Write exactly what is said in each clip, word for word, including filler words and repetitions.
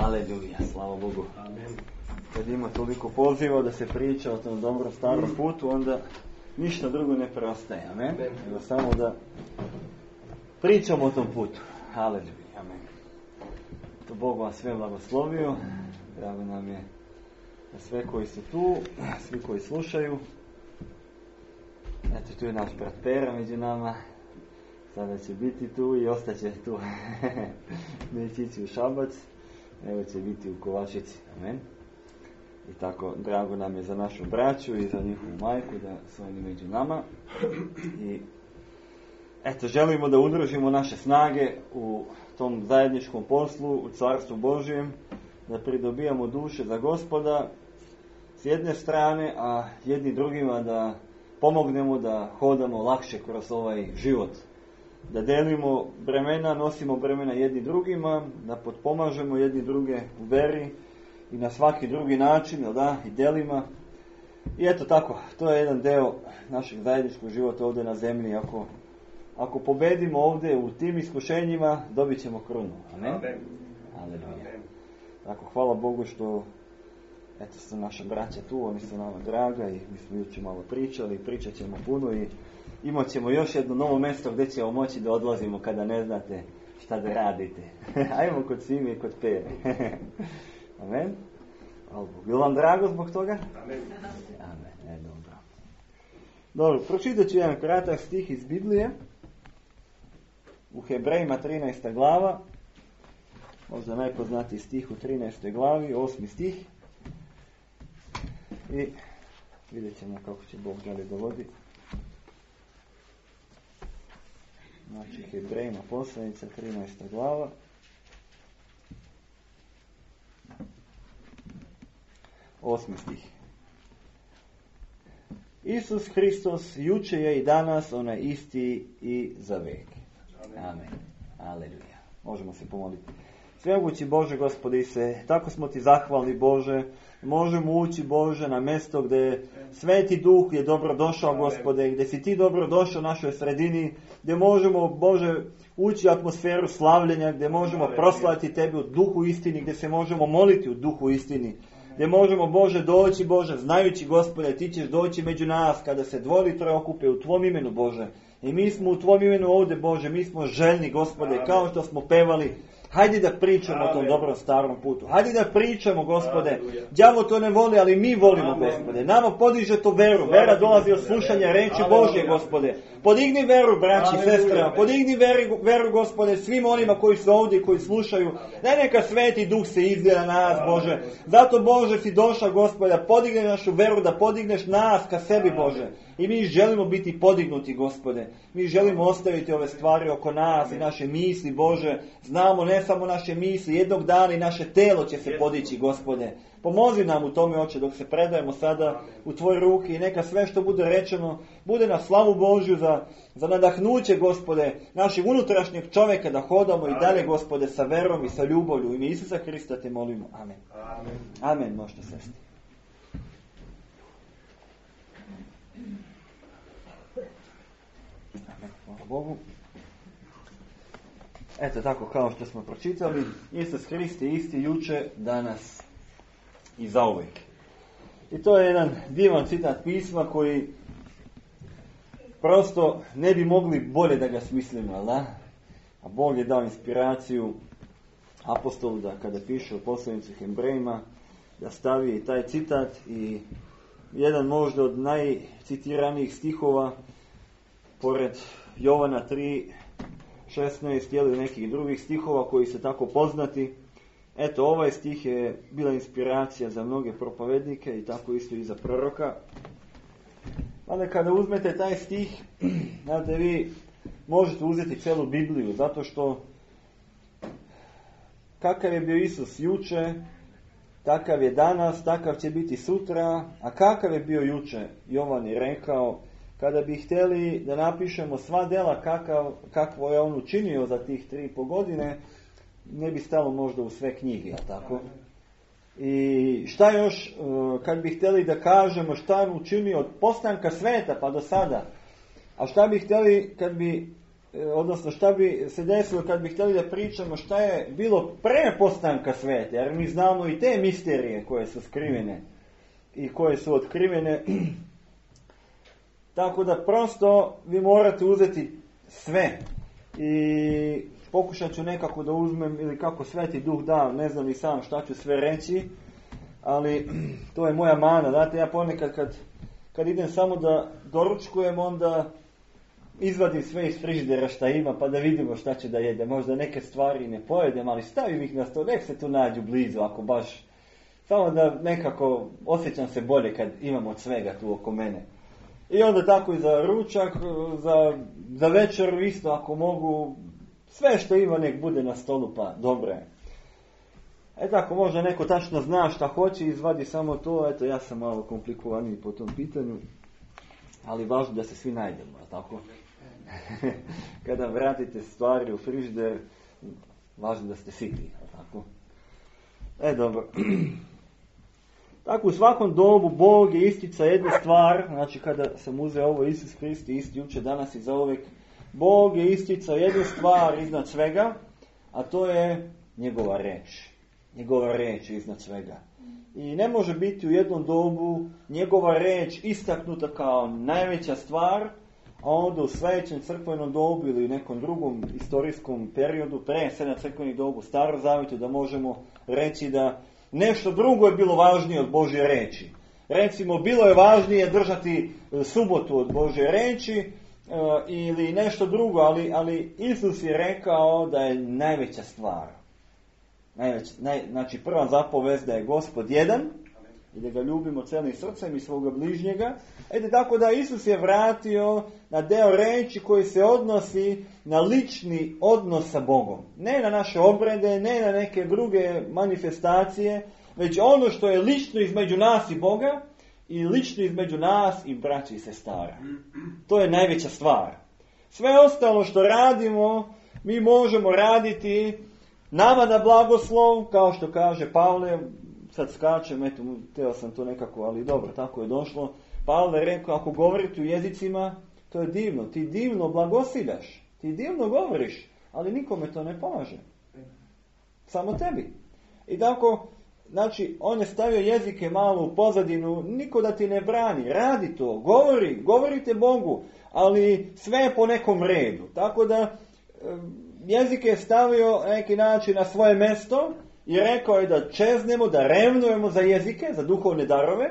Aleluja, slava Bogu. Amen. Kad ima toliko poziva da se priča o tom dobrom starom putu, onda ništa drugo ne preostaje. Amen. Amen. Nego samo da pričamo o tom putu. Aleluja. Amen. To Bog vas sve blagoslovio. Drago nam je da sve koji su tu, svi koji slušaju. Eto, tu je naš brat Pera među nama. Sada će biti tu i ostaće tu. Neće ići u Šabac, nego će biti u Kovačici. Amen. I tako, drago nam je za našu braću i za njihovu majku da su oni među nama. I eto, želimo da udružimo naše snage u tom zajedničkom poslu, u Carstvu Božjem, da pridobijamo duše za Gospoda s jedne strane, a jedni drugima da pomognemo da hodamo lakše kroz ovaj život. Da delimo bremena, nosimo bremena jedni drugima, da potpomažemo jedni druge u veri i na svaki drugi način, jel da, i delima. I eto tako, to je jedan deo našeg zajedničkog života ovdje na zemlji. Ako, ako pobedimo ovdje u tim iskušenjima, dobit ćemo krunu. Amen? Amen. Aleluja. Tako, hvala Bogu što eto su naša braća tu, oni su nama draga i mi smo jučer malo pričali, pričat ćemo puno i imat ćemo još jedno novo mjesto gdje ćemo moći da odlazimo kada ne znate šta da radite. Ajmo kod Sime i kod Pere. Amen. Bilo vam drago zbog toga? Amen. Amen. E, dobro. Dobro, pročitat ću jedan kratak stih iz Biblije. U Hebrejima trinaesta glava. Možda najpoznatiji stih u trinaestoj glavi, osmi stih. I vidjet ćemo kako će Bog dalje dovoditi. Znači, Hebrejima poslanica, trinaesta glava. Osmi stih. Isus Hristos juče je i danas onaj isti i za vek. Amen. Aleluja. Možemo se pomoliti. Svemogući Bože, Gospodi se, tako smo ti zahvalni Bože. Možemo ući, Bože, na mjesto gdje Sveti Duh je dobro došao, Gospode, gdje si ti dobro došao u našoj sredini, gdje možemo, Bože, ući u atmosferu slavljenja, gdje možemo proslaviti Tebi u duhu istini, gdje se možemo moliti u duhu istini, gdje možemo, Bože, doći, Bože, znajući, Gospode, ti ćeš doći među nas kada se dvoje troje okupe u Tvom imenu, Bože. I mi smo u Tvom imenu ovdje, Bože, mi smo željni, Gospode, kao što smo pevali. Hajde da pričamo Amen. O tom dobrom starom putu. Hajde da pričamo, Gospode. Đavo to ne voli, ali mi volimo, Amen. Gospode. Nama podiže to veru. Vera dolazi od slušanja reči Božje, Gospode. Podigni veru, braći i sestrama. Podigni veru, veru, Gospode, svim onima koji su ovdje i koji slušaju. Daj neka Sveti Duh se izgleda na nas, Bože. Zato, Bože, si došao, Gospode, da podigne našu veru, da podigneš nas ka sebi, Bože. I mi želimo biti podignuti, Gospode. Mi želimo ostaviti ove stvari oko nas i naše misli, Bože. Znamo ne samo naše misli, jednog dana i naše telo će se podići, Gospode. Pomozi nam u tome, Oče, dok se predajemo sada u Tvoje ruke i neka sve što bude rečeno bude na slavu Božju za, za nadahnuće, Gospode, našeg unutrašnjeg čovjeka da hodamo i dalje, Gospode, sa verom i sa ljubavlju. U ime Isusa Hrista te molimo. Amen. Amen. Amen. Možete sesti. Amen. Hvala Bogu. Eto tako kao što smo pročitali, Isus Hrist je isti juče, danas i zauvijek. I to je jedan divan citat pisma koji prosto ne bi mogli bolje da ga smislimo, da? A Bog je dao inspiraciju apostolu da kada piše u poslanici Hebrejima da stavi taj citat i jedan možda od najcitiranijih stihova pored Jovana tri šesnaest ili nekih drugih stihova koji su tako poznati. Eto, ovaj stih je bila inspiracija za mnoge propovednike i tako isto i za proroka. Ali kada uzmete taj stih, znate, vi možete uzeti celu Bibliju, zato što kakav je bio Isus juče, takav je danas, takav će biti sutra, a kakav je bio juče, Jovan je rekao, kada bi htjeli da napišemo sva dela kakav, kakvo je on učinio za tih tri i po godine, ne bi stalo možda u sve knjige, jel tako? I šta još, kad bi htjeli da kažemo šta je učinio od postanka sveta pa do sada, a šta bi htjeli kad bi odnosno šta bi se desilo kad bi htjeli da pričamo šta je bilo pre postanka sveta, jer mi znamo i te misterije koje su skrivene i koje su otkrivene. Tako da prosto vi morate uzeti sve i pokušat ću nekako da uzmem, ili kako Sveti Duh da, ne znam i sam šta ću sve reći, ali to je moja mana. Znate, ja ponekad kad, kad idem samo da doručkujem, onda izvadim sve iz frižidera šta ima, pa da vidimo šta će da jede. Možda neke stvari ne pojedem, ali stavim ih na sto, nek se tu nađu blizu, ako baš, samo da nekako osjećam se bolje kad imam od svega tu oko mene. I onda tako i za ručak, za, za večeru isto, ako mogu, sve što ima nek bude na stolu, pa dobro je. E tako, možda neko tačno zna šta hoće i izvadi samo to, eto ja sam malo komplikovaniji po tom pitanju, ali važno da se svi najdemo, tako? Kada vratite stvari u frižider, važno da ste siti, tako? E dobro. Tako u svakom dobu Bog je istica jedna stvar, znači kada sam uzeo ovo Isus Hrist isti juče, danas i zauvek, Bog je isticao jednu stvar iznad svega, a to je njegova reč. Njegova reč iznad svega. I ne može biti u jednom dobu njegova reč istaknuta kao najveća stvar, a onda u sljedećem crkvenom dobu ili u nekom drugom istorijskom periodu, pre sedam crkvenih dobu, Staro zavjetu, da možemo reći da nešto drugo je bilo važnije od Božje reči. Recimo, bilo je važnije držati subotu od Božje reči e, ili nešto drugo, ali, ali Isus je rekao da je najveća stvar. Najveć, naj, znači prva zapovest da je Gospod jedan i da ga ljubimo celim srcem i svoga bližnjega. Ede tako da Isus je vratio na deo reči koji se odnosi na lični odnos sa Bogom. Ne na naše obrede, ne na neke druge manifestacije, već ono što je lično između nas i Boga i lično između nas i braća i sestara. To je najveća stvar. Sve ostalo što radimo, mi možemo raditi nama na blagoslov, kao što kaže Pavle, sad skačem, eto, teo sam to nekako, ali dobro, tako je došlo. Pavle je rekao, ako govorite u jezicima, to je divno, ti divno blagosiljaš, ti divno govoriš, ali nikome to ne pomaže. Samo tebi. I tako, znači, on je stavio jezike malo u pozadinu, niko da ti ne brani, radi to, govori, govorite Bogu, ali sve je po nekom redu. Tako da, jezike je stavio na neki način na svoje mjesto i rekao je da čeznemo, da revnujemo za jezike, za duhovne darove,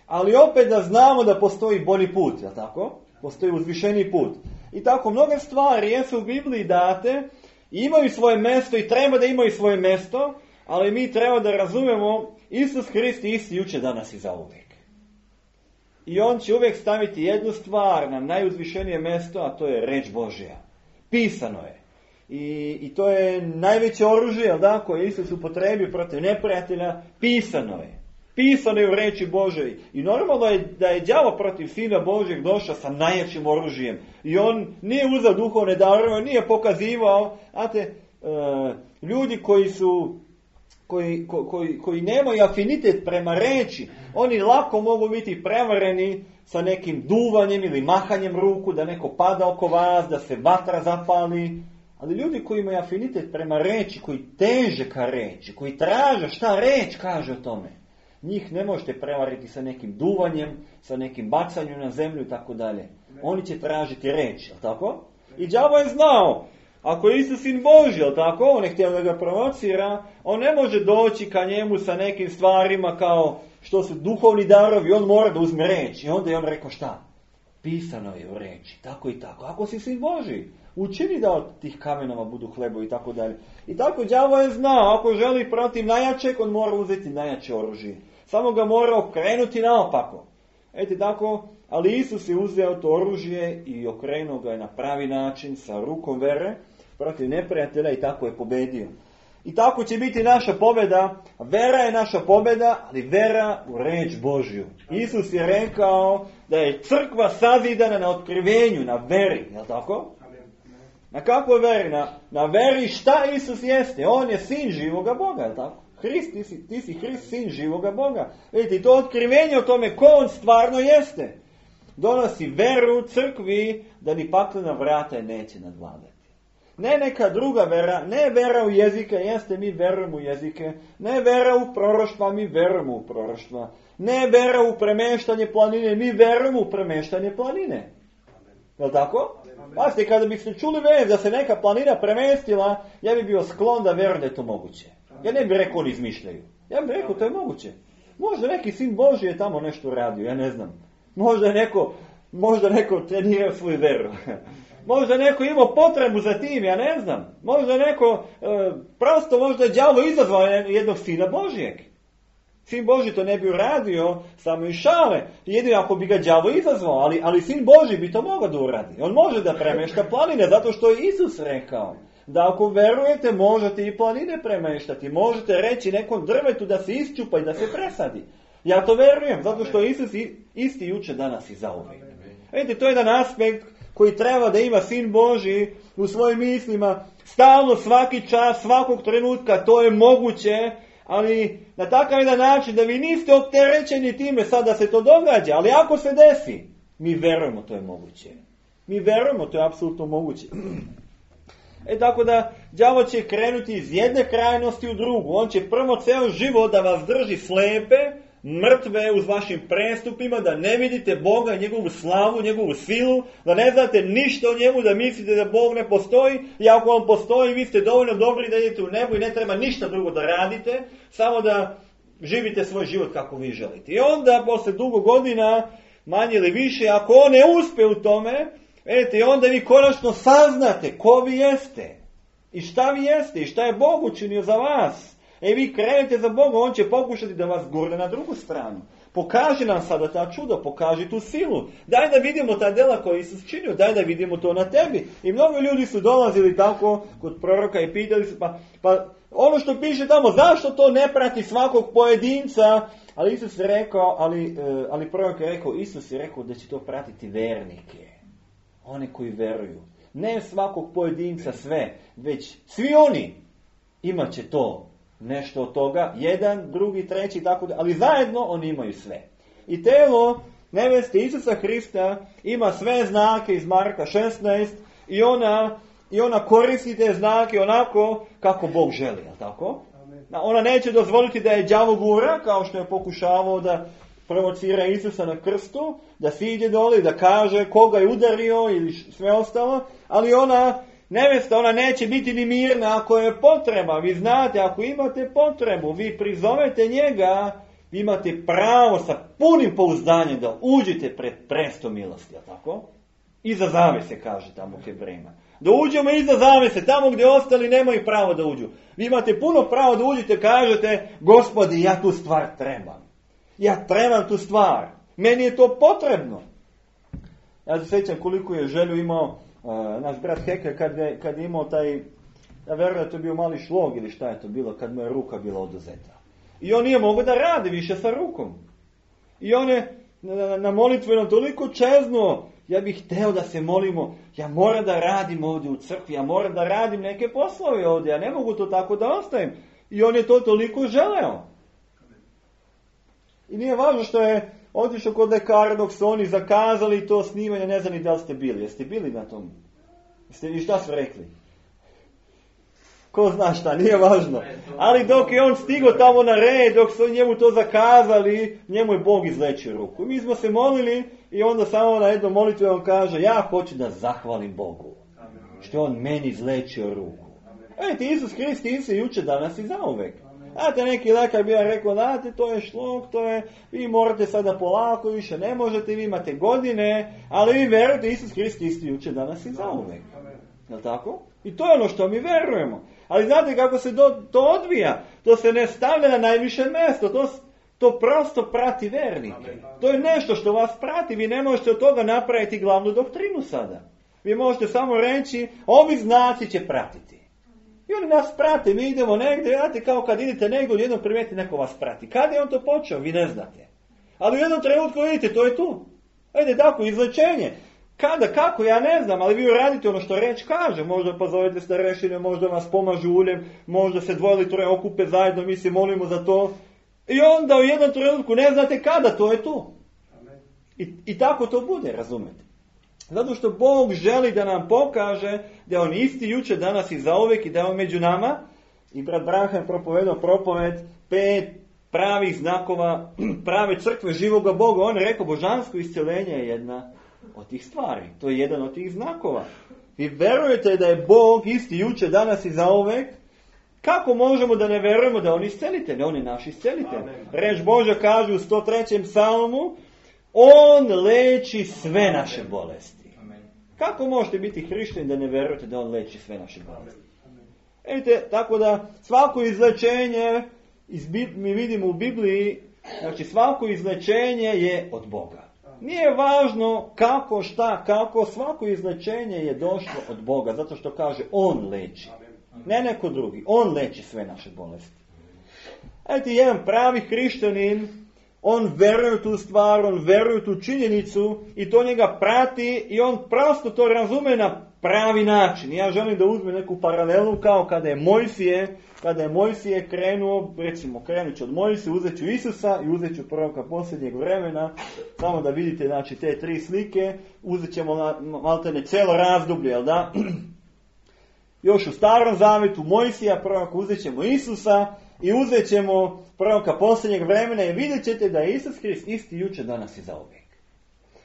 ali opet da znamo da postoji bolji put, jel tako? Postoji uzvišeni put. I tako mnoge stvari jesu u Bibliji date, imaju svoje mjesto i treba da imaju svoje mjesto, ali mi treba da razumemo Isus Hrist isti juče, danas i zauvijek. I on će uvijek staviti jednu stvar na najuzvišenije mjesto, a to je reč Božja. Pisano je. I, i to je najveće oružje, jel da, koje Isus upotrebio protiv neprijatelja, pisano je. Pisano je u reči Božoj. I normalno je da je đavo protiv Sina Božjeg došao sa najjačim oružjem. I on nije uzeo duhovne darove, nije pokazivao. Znate, e, ljudi koji su koji, ko, koji, koji nemaju afinitet prema reči, oni lako mogu biti prevareni sa nekim duvanjem ili mahanjem ruku, da neko pada oko vas, da se vatra zapali. Ali ljudi koji imaju afinitet prema reči, koji teže ka reči, koji traže šta reč kaže o tome, njih ne možete prevariti sa nekim duvanjem, sa nekim bacanjem na zemlju i tako dalje. Oni će tražiti reč, jel tako? I đavo je znao, ako je Isus sin Božji, jel tako? On je htio da ga provocira, on ne može doći ka njemu sa nekim stvarima kao što su duhovni darovi, on mora da uzme reč. I onda je on rekao šta? Pisano je u reči, tako i tako. Ako si sin Božji, učini da od tih kamenova budu hlebovi i tako dalje. I tako đavo je znao, ako želi protiv najjačeg, on mora uzeti najjače oružje. Samo ga mora okrenuti naopako. Eto tako, ali Isus je uzeo to oružje i okrenuo ga je na pravi način sa rukom vere protiv neprijatelja i tako je pobedio. I tako će biti naša pobjeda. Vera je naša pobjeda, ali vera u reč Božju. Isus je rekao da je crkva sazidana na otkrivenju, na veri, je li tako? Na kakvoj veri? Na, na veri šta Isus jeste. On je sin živoga Boga, je li tako? Hrist, ti si, ti si Hrist, sin živoga Boga. Vidite, to otkrivenje o tome ko on stvarno jeste. donosi veru crkvi da ni paklena vrata je neće nadvladati. Ne neka druga vera, ne vera u jezike, jeste mi verujemo u jezike, ne vera u proroštva, mi verujemo u proroštva, ne vera u premeštanje planine, mi verujemo u premeštanje planine. Je li tako? Pazite, kada biste čuli vez da se neka planina premestila, ja bih bio sklon da verujem da je to moguće. Ja ne bih rekao oni izmišljaju. Ja bih rekao to je moguće. Možda neki sin Božji je tamo nešto radio, ja ne znam. Možda neko, možda neko trenirao svoju veru. Možda neko imao potrebu za tim, ja ne znam. Možda neko, e, prosto možda je đavo izazvao jednog sina Božijeg. Sin Božji to ne bi uradio, samo i šale. Jedino ako bi ga đavo izazvao, ali, ali sin Božji bi to mogao da uradi. On može da premešta planine, zato što je Isus rekao da ako verujete možete i planine premeštati. Možete reći nekom drvetu da se isčupa i da se presadi. Ja to verujem, zato što je Isus isti juče, danas i zauvijek. Vidite, to je jedan aspekt koji treba da ima sin Božji u svojim mislima. Stalno, svaki čas, svakog trenutka, to je moguće. Ali na takav jedan način da vi niste opterećeni time sad da se to događa. Ali ako se desi, mi verujemo to je moguće. Mi verujemo to je apsolutno moguće. E tako da đavo će krenuti iz jedne krajnosti u drugu. On će prvo ceo život da vas drži slepe, mrtve uz vašim prestupima, da ne vidite Boga, njegovu slavu, njegovu silu, da ne znate ništa o njemu, da mislite da Bog ne postoji. I ako on postoji, vi ste dovoljno dobri da idete u nebo i ne treba ništa drugo da radite, samo da živite svoj život kako vi želite. I onda, posle dugo godina, manje ili više, ako on ne uspe u tome, vidite, onda vi konačno saznate ko vi jeste i šta vi jeste i šta je Bog učinio za vas. E vi krenete za Boga, on će pokušati da vas gurne na drugu stranu. Pokaži nam sada ta čudo, pokaži tu silu. Daj da vidimo ta dela koja Isus činio, daj da vidimo to na tebi. I mnogo ljudi su dolazili tako kod proroka i pitali se, pa, pa ono što piše tamo, zašto to ne prati svakog pojedinca? Ali Isus je rekao, ali, ali prorok je rekao, Isus je rekao da će to pratiti vernike. One koji veruju. Ne svakog pojedinca sve, već svi oni imat će to. Nešto od toga, jedan, drugi, treći, tako da, ali zajedno oni imaju sve. I telo neveste Isusa Hrista ima sve znake iz Marka šesnaest i ona, i ona koristi te znake onako kako Bog želi, je li tako? Amen. Ona neće dozvoliti da je đavo gura, kao što je pokušavao da provocira Isusa na krstu, da siđe dole i da kaže koga je udario ili sve ostalo, ali ona nevesta, ona neće biti ni mirna ako je potreba. Vi znate, ako imate potrebu, vi prizovete njega, vi imate pravo sa punim pouzdanjem da uđete pred presto milosti, je tako? Iza zavese, kaže tamo u Hebrejima. Da uđemo iza zavese, tamo gdje ostali nemaju pravo da uđu. Vi imate puno pravo da uđete, kažete, Gospodi, ja tu stvar trebam. Ja trebam tu stvar. Meni je to potrebno. Ja se sjećam koliko je želju imao Uh, naš brat Heke kad je, kad je imao taj, ja verujem da to je bio mali šlog ili šta je to bilo, kad mu je ruka bila oduzeta. I on nije mogao da radi više sa rukom. I on je na, na molitvenom toliko čeznuo, ja bih hteo da se molimo, ja moram da radim ovdje u crkvi, ja moram da radim neke poslove ovdje, ja ne mogu to tako da ostavim. I on je to toliko želeo. I nije važno što je otišao kod lekara dok su oni zakazali to snimanje, ne znam ni da li ste bili. Jeste bili na tom? Jeste, i šta su rekli? Ko zna šta, nije važno. Ali dok je on stigao tamo na red, dok su njemu to zakazali, njemu je Bog izlečio ruku. I mi smo se molili i onda samo na jednom molitvi on kaže, ja hoću da zahvalim Bogu što je on meni izlečio ruku. Vidite, Isus Hrist isti juče, danas i zauvek. Znate, neki lekar bi vam rekao, znate, to je šlog, to je, vi morate sada polako, više ne možete, vi imate godine, ali vi verujete, Isus Hrist isti juče, danas i zauvek. Je li tako? I to je ono što mi verujemo. Ali znate kako se do, to odvija? To se ne stavlja na najviše mjesto, to, to prosto prati vernike. To je nešto što vas prati, vi ne možete od toga napraviti glavnu doktrinu sada. Vi možete samo reći, ovi znaci će pratiti. I oni nas prate, mi idemo negdje, znate, kao kad idete negdje, u jednom primijeti neko vas prati. Kad je on to počeo, vi ne znate. Ali u jednom trenutku vidite, to je tu. Ajde, tako, izlečenje. Kada, kako, ja ne znam, ali vi radite ono što reč kaže. Možda pozovete starešine, možda vas pomažu uljem, možda se dvoje ili troje okupe zajedno, mi se molimo za to. I onda u jednom trenutku ne znate kada, to je tu. I, i tako to bude, razumete? Zato što Bog želi da nam pokaže da je On isti jučer, danas i zauvijek i da je On među nama. I brat Branham propovedao propoved pet pravih znakova prave crkve živoga Boga. On je rekao, božansko iscjeljenje je jedna od tih stvari. To je jedan od tih znakova. Vi verujete da je Bog isti jučer, danas i zauvijek? Kako možemo da ne verujemo da On iscelitelj? On je naš iscelitelj. Reč Božja kaže u sto trećem psalmu, On leči sve naše bolesti. Kako možete biti hrišćani da ne verujete da On leči sve naše bolesti? Vidite, tako da svako izlečenje, mi vidimo u Bibliji, znači svako izlečenje je od Boga. Nije važno kako, šta, kako, svako izlečenje je došlo od Boga, zato što kaže On leči. Ne neko drugi, On leči sve naše bolesti. Vidite, jedan pravi hrišćanin, on veruje u tu stvar, on veruje u tu činjenicu i to njega prati i on prosto to razume na pravi način. Ja želim da uzmem neku paralelu kao kada je Mojsije, kada je Mojsije krenuo, recimo krenut ću od Mojsije, uzet ću Isusa i uzet ću proroka posljednjeg vremena, samo da vidite znači, te tri slike, uzet ćemo maltene cijelo razdoblje, jel da? Još u Starom Zavetu Mojsija, prorok, uzet ćemo Isusa i uzet ćemo proroka posljednjeg vremena i vidjet ćete da je Isus Krist isti jučer, danas i zauvijek.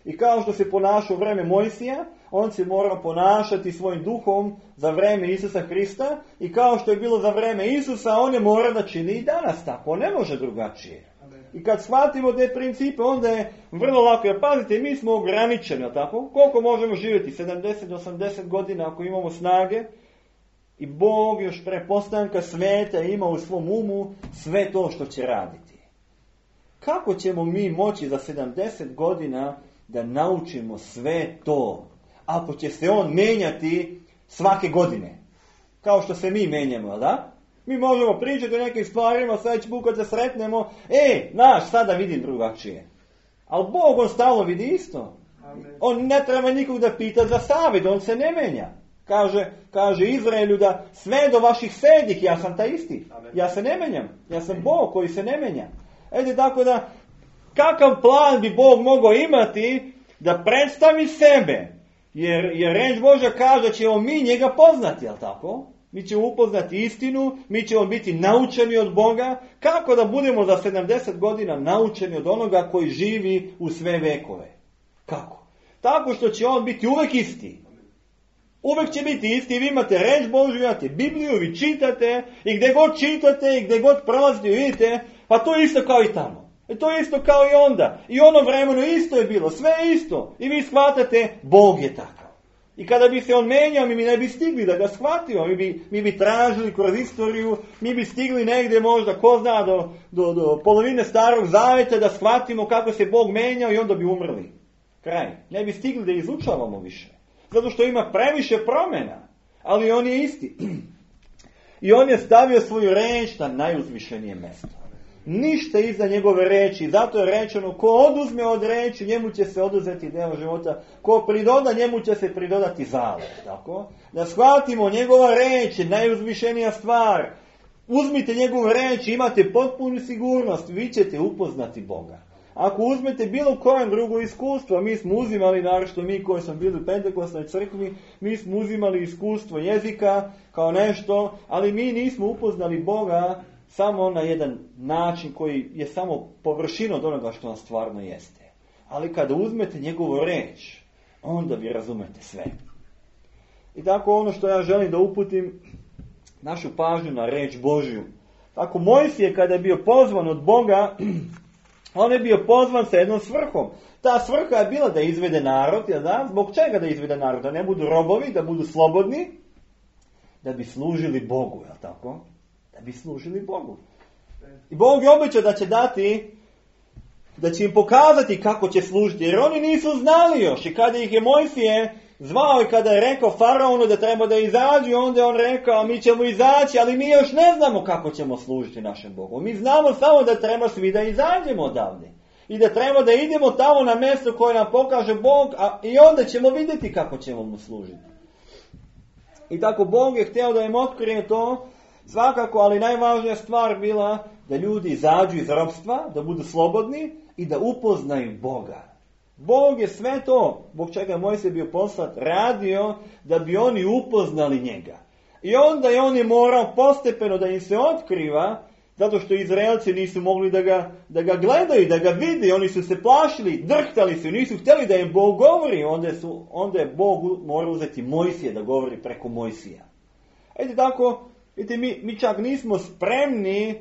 I kao što se ponašao u vreme Mojsija, on se mora ponašati svojim duhom za vreme Isusa Krista i kao što je bilo za vreme Isusa, on je mora da čini i danas tako. On ne može drugačije. I kad shvatimo te principe, onda je vrlo lako. Jer pazite, mi smo ograničeni, tako? Koliko možemo živjeti? sedamdeset do osamdeset godina ako imamo snage. I Bog još pre postanka svijeta ima u svom umu sve to što će raditi. Kako ćemo mi moći za sedamdeset godina da naučimo sve to, ako će se On menjati svake godine? Kao što se mi menjamo, da? Mi možemo pričati o nekim stvarima, sljedeći put kad se sretnemo, e, naš, sada vidim drugačije. Ali Bog, On stalno vidi isto. On ne treba nikog da pita za savjet, On se ne menja. Kaže, kaže Izraelju da sve do vaših sedih, ja sam taj isti. Ja se ne menjam. Ja sam Bog koji se ne menja. Ede, tako da, kakav plan bi Bog mogao imati da predstavi sebe? Jer, jer reč Božja kaže da ćemo mi njega poznati, jel tako? Mi ćemo upoznati istinu, mi ćemo biti naučeni od Boga. Kako da budemo za sedamdeset godina naučeni od onoga koji živi u sve vekove? Kako? Tako što će On biti uvek isti. Uvijek će biti isti, vi imate reč Božju, imate Bibliju, vi čitate i gdje god čitate i gdje god prolazite vidite, pa to je isto kao i tamo. I to je isto kao i onda. I ono vremeno isto je bilo, sve je isto. I vi shvatate, Bog je takav. I kada bi se On menjao, mi bi ne bi stigli da ga shvatimo. Mi bi, mi bi tražili kroz istoriju, mi bi stigli negdje možda, ko zna, do, do, do polovine Starog Zaveta da shvatimo kako se Bog menjao i onda bi umrli. Kraj. Ne bi stigli da izučavamo više. Zato što ima previše promjena, ali On je isti. I On je stavio svoju reč na najuzvišenije mjesto. Ništa iza njegove reči, zato je rečeno, ko oduzme od reči, njemu će se oduzeti deo života, ko pridoda, njemu će se pridodati zalet. Tako? Da shvatimo, njegova reč je najuzvišenija stvar. Uzmite njegovu reč, imate potpunu sigurnost, vi ćete upoznati Boga. Ako uzmete bilo kojem drugo iskustvo, mi smo uzimali, naročito mi koji smo bili u Pentekostnoj crkvi, mi smo uzimali iskustvo jezika kao nešto, ali mi nismo upoznali Boga samo na jedan način koji je samo površina od onoga što on stvarno jeste. Ali kada uzmete njegovu reč, onda vi razumete sve. I tako ono što ja želim da uputim našu pažnju na reč Božju. Tako Mojsije kada je bio pozvan od Boga, on je bio pozvan sa jednom svrhom. Ta svrha je bila da izvede narod, ja znam, zbog čega da izvede narod? Da ne budu robovi, da budu slobodni, da bi služili Bogu, je li tako? Da bi služili Bogu. I Bog je obećao da će dati, da će im pokazati kako će služiti, jer oni nisu znali još. I kada ih je Mojsije zvao i kada je rekao faraonu da treba da izađu, onda je on rekao, mi ćemo izaći, ali mi još ne znamo kako ćemo služiti našem Bogu. Mi znamo samo da treba svi da izađemo odavde. I da treba da idemo tamo na mjesto koje nam pokaže Bog, a i onda ćemo vidjeti kako ćemo mu služiti. I tako Bog je htio da im otkrije to, svakako, ali najvažnija stvar bila da ljudi izađu iz ropstva, da budu slobodni i da upoznaju Boga. Bog je sve to, zbog čega je Mojsije bio poslat, radio da bi oni upoznali njega. I onda je on je morao postepeno da im se otkriva, zato što Izraelci nisu mogli da ga, da ga gledaju, da ga vide, oni su se plašili, drhtali su, nisu htjeli da im Bog govori, onda, su, onda je Bog morao uzeti Mojsije da govori preko Mojsija. Ejte tako, vidite, mi, mi čak nismo spremni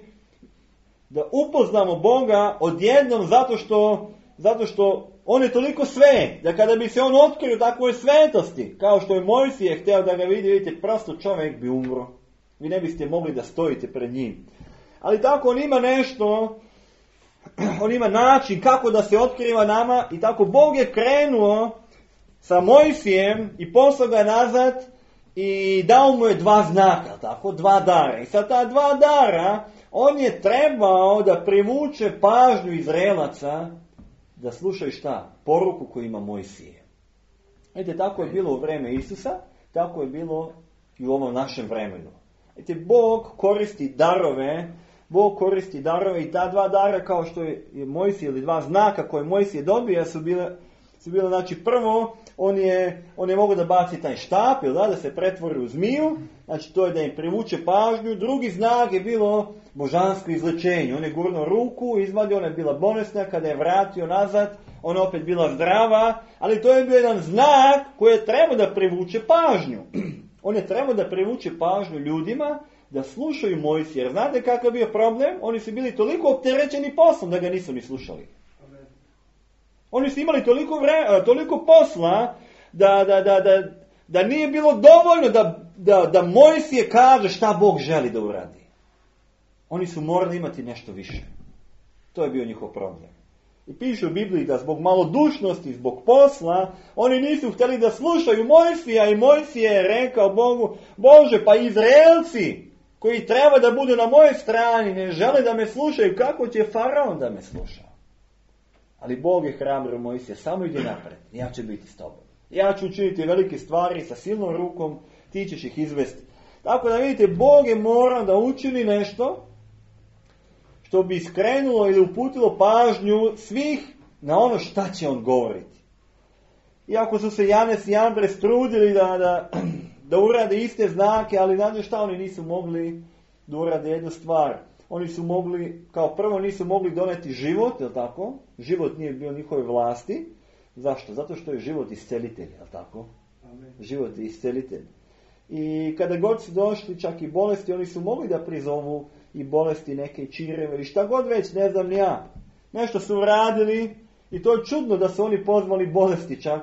da upoznamo Boga odjednom zato što, zato što on je toliko sve, da kada bi se on otkrio takvoj svetosti, kao što je Mojsije htio da ga vidi, vidite, prosto čovjek bi umro. Vi ne biste mogli da stojite pred njim. Ali tako on ima nešto, on ima način kako da se otkriva nama i tako Bog je krenuo sa Mojsijem i poslao ga nazad i dao mu je dva znaka, tako, dva dara. I sa ta dva dara on je trebao da privuče pažnju Izraelaca da slušaju šta? Poruku koju ima Mojsije. Vidite, tako je bilo u vreme Isusa, tako je bilo i u ovom našem vremenu. Vidite, Bog koristi darove, Bog koristi darove i ta dva dara kao što je Mojsije ili dva znaka koje Mojsije dobija su bile, su bile, znači prvo, on je, on je mogao da baci taj štap, ili da, da se pretvori u zmiju, znači to je da im privuče pažnju. Drugi znak je bilo božansko izlečenje. On je gurnuo ruku, izvadio, ona je bila bolesna, kada je vratio nazad, ona je opet bila zdrava, ali to je bio jedan znak koji je trebao da privuče pažnju. On je trebao da privuče pažnju ljudima da slušaju Mojsija. Jer znate kakav bio problem? Oni su bili toliko opterećeni poslom da ga nisu ni slušali. Oni su imali toliko, vre, toliko posla da, da, da, da, da nije bilo dovoljno da, da, da Mojsije kaže šta Bog želi da uradi. Oni su morali imati nešto više. To je bio njihov problem. I piše u Bibliji da zbog malodušnosti, zbog posla, oni nisu htjeli da slušaju Mojsija i Mojsije je rekao Bogu, Bože, pa Izraelci koji treba da budu na mojoj strani ne žele da me slušaju, kako će Faraon da me sluša? Ali Bog je hrabrio Mojsija, samo ide napred, ja ću biti s tobom. Ja ću učiniti velike stvari sa silnom rukom, ti ćeš ih izvesti. Tako da vidite, Bog je morao da učini nešto što bi skrenulo ili uputilo pažnju svih na ono šta će on govoriti. Iako su se Janes i Andres trudili da, da, da urade iste znake, ali znate šta, oni nisu mogli da urade jednu stvar. Oni su mogli, kao prvo nisu mogli doneti život, je li tako? Život nije bio njihove vlasti. Zašto? Zato što je život iscelitelj, je li tako? Amen. Život je iscelitelj. I kada god su došli čak i bolesti, oni su mogli da prizovu i bolesti neke čireve i šta god već, ne znam ni ja. Nešto su uradili i to je čudno da su oni pozvali bolesti čak,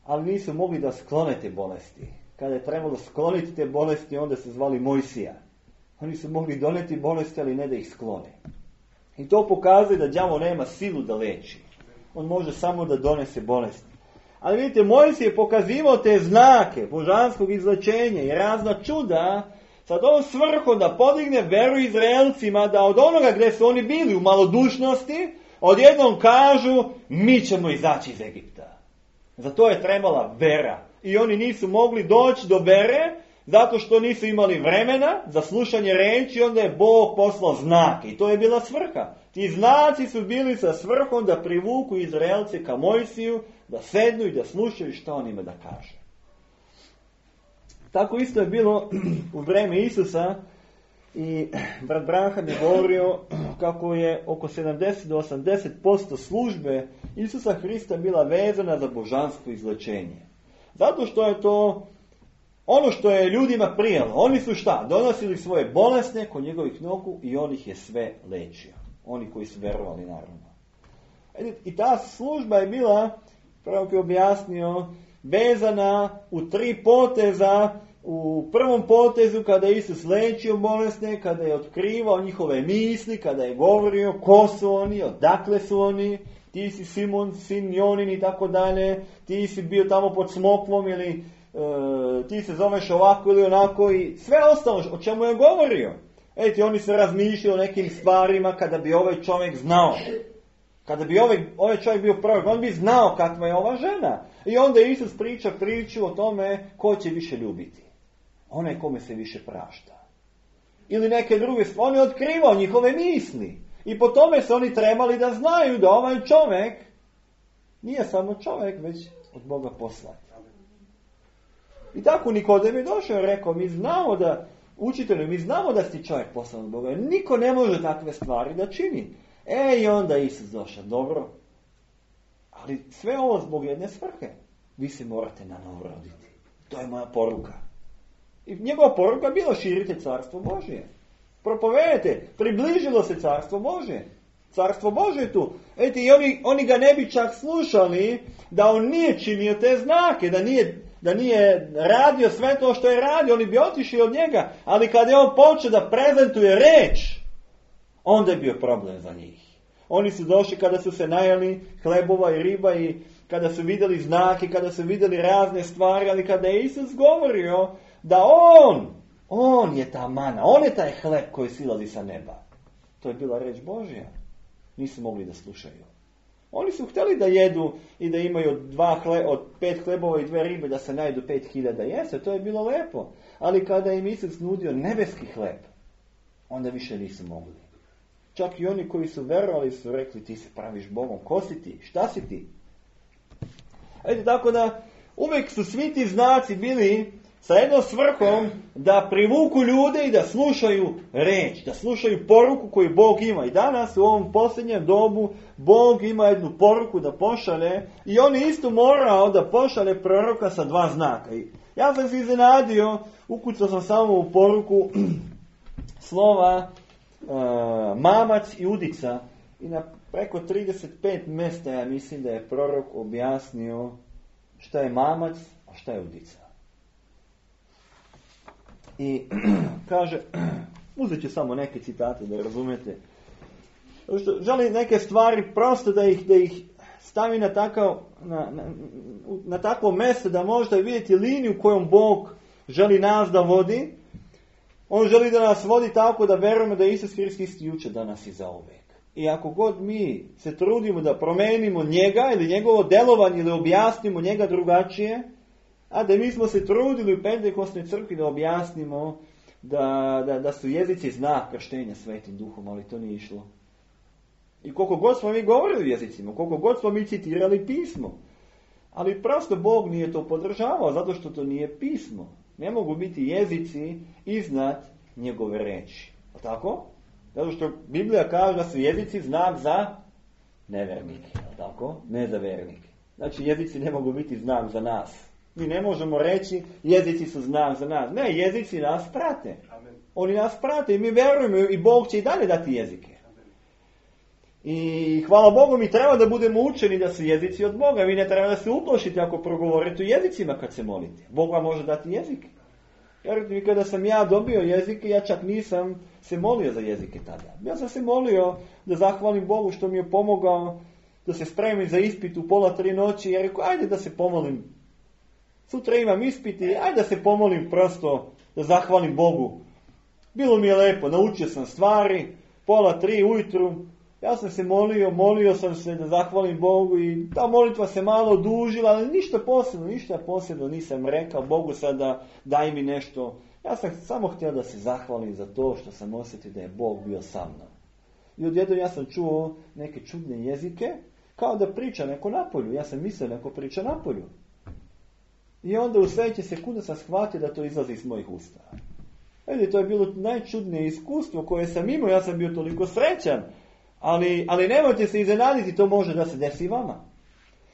ali nisu mogli da sklone te bolesti. Kada je trebalo skloniti te bolesti, onda se zvali Mojsija. Oni su mogli doneti bolesti, ali ne da ih sklone. I to pokazuje da đavo nema silu da leči. On može samo da donese bolesti. Ali vidite, Mojsije je pokazivao te znake božanskog izlečenja i razna čuda sa tom svrhom da podigne veru Izraelcima, da od onoga gdje su oni bili u malodušnosti, odjednom kažu, mi ćemo izaći iz Egipta. Za to je trebala vera. I oni nisu mogli doći do vere, zato što nisu imali vremena za slušanje reči, onda je Bog poslao znake. I to je bila svrha. Ti znaci su bili sa svrhom da privuku Izraelce ka Mojsiju, da sednu i da slušaju šta on ima da kaže. Tako isto je bilo u vreme Isusa i brat Branham je govorio kako je oko sedamdeset do osamdeset posto službe Isusa Hrista bila vezana za božansko izlečenje. Zato što je to ono što je ljudima prijalo. Oni su šta? Donosili svoje bolesne kod njegovih nogu i on ih je sve lečio. Oni koji su verovali, naravno. I ta služba je bila, pravo je objasnio, vezana u tri poteza. U prvom potezu kada je Isus lečio bolesne, kada je otkrivao njihove misli, kada je govorio ko su oni, odakle su oni, ti si Simon, sin Jonin i tako dalje, ti si bio tamo pod smokvom ili e, ti se zoveš ovako ili onako i sve ostalo o čemu je govorio. Eti, oni se razmišljali o nekim stvarima kada bi ovaj čovjek znao. Kada bi ovaj, ovaj čovjek bio prorok, on bi znao kakva je ova žena. I onda Isus priča priču o tome ko će više ljubiti. Onaj kome se više prašta. Ili neke druge stvari. On je otkrivao njihove misli. I po tome se oni trebali da znaju da ovaj čovjek Nije samo čovjek, već od Boga poslan. I tako Nikodem je došao i rekao, mi znamo da, učitelju, mi znamo da si čovjek poslan od Boga. Niko ne može takve stvari da čini. E, i onda Isus došao, dobro. Ali sve ovo zbog jedne svrhe. Vi se morate na novo roditi. To je moja poruka. I njegova poruka bila širite carstvo Božje. Propovedajte, približilo se carstvo Božje. Carstvo Božje je tu. Eti, i oni, oni ga ne bi čak slušali da on nije činio te znake, da nije, da nije radio sve to što je radio, oni bi otišli od njega. Ali kada je on počeo da prezentuje reč, onda je bio problem za njih. Oni su došli kada su se najeli hlebova i riba i kada su vidjeli znake, kada su vidjeli razne stvari, ali kada je Isus govorio da on, on je ta mana, on je taj hleb koji silazi sa neba. To je bila reč Božja. Nisu mogli da slušaju. Oni su htjeli da jedu i da imaju dva hle, od pet hlebova i dve ribe da se najdu pet hiljada jeste. To je bilo lepo. Ali kada im Isus nudio nebeski hleb, onda više nisu mogli. Čak i oni koji su verovali su rekli, ti se praviš Bogom. Ko si ti? Šta si ti? Eto, tako da uvijek su svi ti znaci bili sa jednom svrhom da privuku ljude i da slušaju reč, da slušaju poruku koju Bog ima. I danas u ovom posljednjem dobu Bog ima jednu poruku da pošalje i on je isto morao da pošalje proroka sa dva znaka. I ja sam se iznenadio, ukucao sam samo u poruku slova uh, mamac i udica i na preko trideset pet mjesta ja mislim da je prorok objasnio šta je mamac, a šta je udica. I kaže, uzet ću samo neke citate da razumete. Što želi neke stvari prosto da ih, da ih stavi na, takav, na, na, na takvo mjesto da možda vidjeti liniju kojom Bog želi nas da vodi. On želi da nas vodi tako da verujemo da je Isus Hrist isti jučer, danas i zauvijek. I ako god mi se trudimo da promenimo njega ili njegovo delovanje ili objasnimo njega drugačije, a da mi smo se trudili u Pentekostnoj crkvi da objasnimo da, da, da su jezici znak krštenja Svetim Duhom, ali to nije išlo. I koliko god smo mi govorili o jezicima, koliko god smo mi citirali pismo, ali prosto Bog nije to podržavao, zato što to nije pismo. Ne mogu biti jezici iznad njegove reči. A tako? Zato što Biblija kaže da su jezici znak za nevernike. A tako? Ne za vernike. Znači jezici ne mogu biti znak za nas. Mi ne možemo reći jezici su znak za nas. Ne, jezici nas prate. Amen. Oni nas prate i mi verujemo i Bog će i dalje dati jezike. Amen. I hvala Bogu mi treba da budemo učeni da su jezici od Boga. Vi ne treba da se uplašite ako progovorite u jezicima kad se molite. Bog vam može dati jezike. Jer mi kada sam ja dobio jezike, ja čak nisam se molio za jezike tada. Ja sam se molio da zahvalim Bogu što mi je pomogao da se spremim za ispit u pola tri noći. Ja rekao, ajde da se pomolim. Sutra imam ispiti, ajde da se pomolim prosto, da zahvalim Bogu. Bilo mi je lepo, naučio sam stvari, pola tri ujutru, ja sam se molio, molio sam se da zahvalim Bogu i ta molitva se malo odužila, ali ništa posebno, ništa posebno nisam rekao Bogu sada daj mi nešto. Ja sam samo htio da se zahvalim za to što sam osjetio da je Bog bio sa mnom. I odjednom ja sam čuo neke čudne jezike, kao da priča neko napolju. Ja sam mislio neko priča napolju. I onda u sljedeće sekunde sam shvatio da to izlazi iz mojih usta. Edi, to je bilo najčudnije iskustvo koje sam imao, ja sam bio toliko srećan. Ali, ali nemojte se iznenaditi, to može da se desi vama.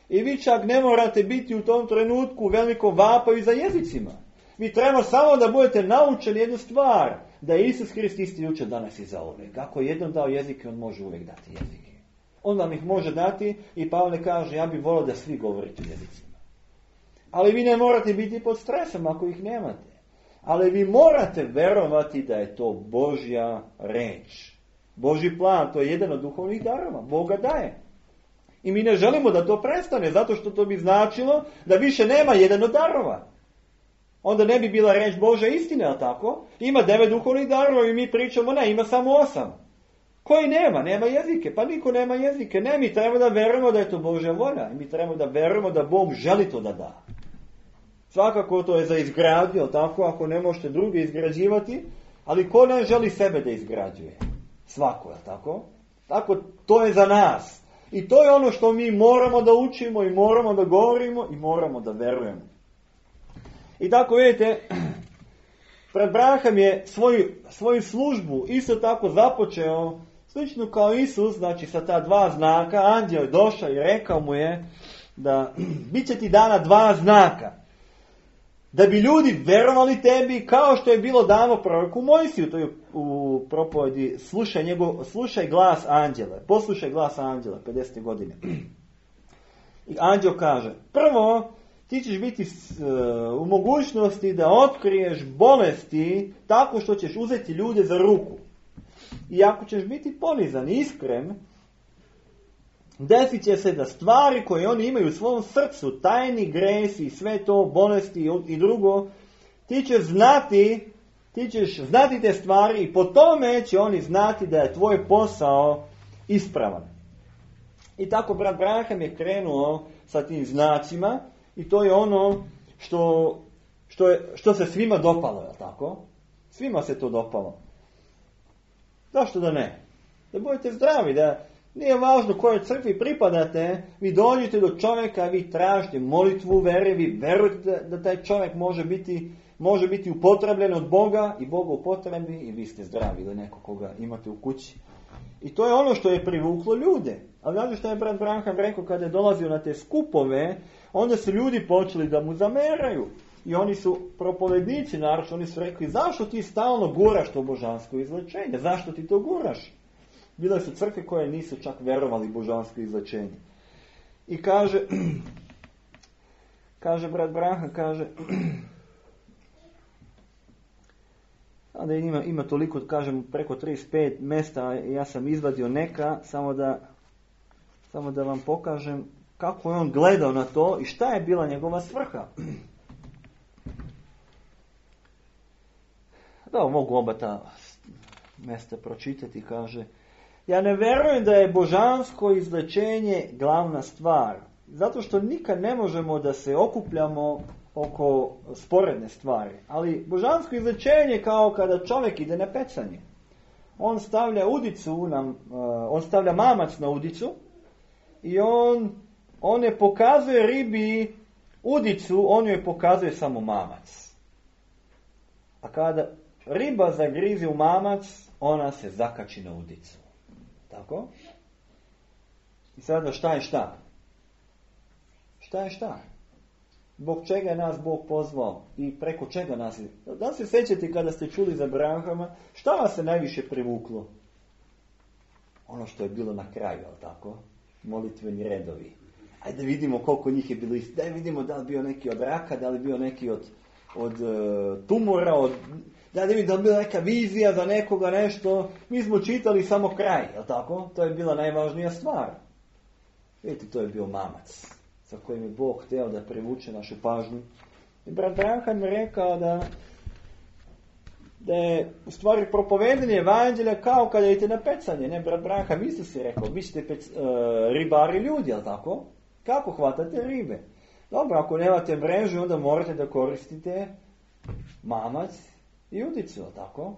I vi čak ne morate biti u tom trenutku veliko vapaju za jezicima. Vi treba samo da budete naučeni jednu stvar, da je Isus Hrist isti jučer, danas i zauvijek. Ako je jednom dao jezike, on može uvijek dati jezike. On vam ih može dati i Pavle kaže, ja bih volio da svi govorite u jezicima. Ali vi ne morate biti pod stresom ako ih nemate. Ali vi morate verovati da je to Božja reč. Božji plan, to je jedan od duhovnih darova. Boga daje. I mi ne želimo da to prestane, zato što to bi značilo da više nema jedan od darova. Onda ne bi bila reč Božja istine, ali tako? Ima devet duhovnih darova i mi pričamo, ne, ima samo osam. Koji nema? Nema jezike. Pa niko nema jezike. Ne, mi trebamo da verujemo da je to Božja volja. I mi trebamo da verujemo da Bog želi to da da. Svakako to je za izgradnju, tako, ako ne možete druge izgrađivati, ali ko ne želi sebe da izgrađuje? Svako, je tako? Tako, to je za nas. I to je ono što mi moramo da učimo i moramo da govorimo i moramo da verujemo. I tako vidite, pred Abraham je svoju, svoju službu isto tako započeo, slično kao Isus, znači sa ta dva znaka. Anđeo je došao i rekao mu je da bit će ti dana dva znaka. Da bi ljudi verovali tebi, kao što je bilo dano proroku Mojsiju, to je u propovedi slušaj, njegov, slušaj glas anđela, poslušaj glas anđela, pedeset godine. I anđeo kaže, prvo, ti ćeš biti uh, u mogućnosti da otkriješ bolesti tako što ćeš uzeti ljude za ruku. I ako ćeš biti ponizan i iskren, desit će se da stvari koje oni imaju u svom srcu, tajni gresi, sve to, bolesti i drugo, ti ćeš znati, ti ćeš znati te stvari i po tome će oni znati da je tvoj posao ispravan. I tako brat Abraham je krenuo sa tim znacima i to je ono što, što, je, što se svima dopalo, je li tako? Svima se to dopalo. Zašto da ne? Da budete zdravi, da nije važno kojoj crkvi pripadate, vi dođete do čovjeka, vi tražite molitvu vere, vi verujete da, da taj čovjek može biti, može biti upotrebljen od Boga i Boga upotrebi i vi ste zdravi ili neko koga imate u kući. I to je ono što je privuklo ljude. Ali znate što je brat Abraham rekao kada je dolazio na te skupove, onda su ljudi počeli da mu zameraju. I oni su propovednici, naravno, oni su rekli, zašto ti stalno guraš to božansko izlečenje? Zašto ti to guraš? Bile su crkve koje nisu čak verovali božansko izlečenje. I kaže, kaže brat Abraham, kaže, da ima, ima toliko, kažem, preko trideset pet mjesta, ja sam izvadio neka, samo da, samo da vam pokažem kako je on gledao na to i šta je bila njegova svrha. Da, mogu oba ta mjesta pročitati, kaže, ja ne vjerujem da je božansko izlečenje glavna stvar, zato što nikad ne možemo da se okupljamo oko sporedne stvari. Ali božansko izlečenje kao kada čovjek ide na pecanje. On stavlja udicu, na, uh, on stavlja mamac na udicu i on, on ne pokazuje ribi udicu, on joj pokazuje samo mamac. A kada riba zagrize u mamac, ona se zakači na udicu. Tako? I sada šta je šta? Šta je šta? Zbog čega je nas Bog pozvao i preko čega nas je? Da li se sjećate kada ste čuli za Abrahama, šta vas se najviše privuklo? Ono što je bilo na kraju, ali tako? Molitveni redovi. Ajde da vidimo koliko njih je bilo isti. Da vidimo da li bio neki od raka, da li bio neki od, od uh, tumora, od, da li da li bila neka vizija za nekoga nešto. Mi smo čitali samo kraj, ali tako? To je bila najvažnija stvar. Vidite, to je bio mamac sa kojim je Bog htio da privuče našu pažnju. I brat Abraham je rekao da, da je u stvari propovedanje evanđelja kao kada idete na pecanje. Ne, brat Abraham isto si rekao, vi ste pec, uh, ribari ljudi, jel tako? Kako hvatate ribe? Dobro, ako nemate mrežu, onda morate da koristite mamac i udicu, jel tako?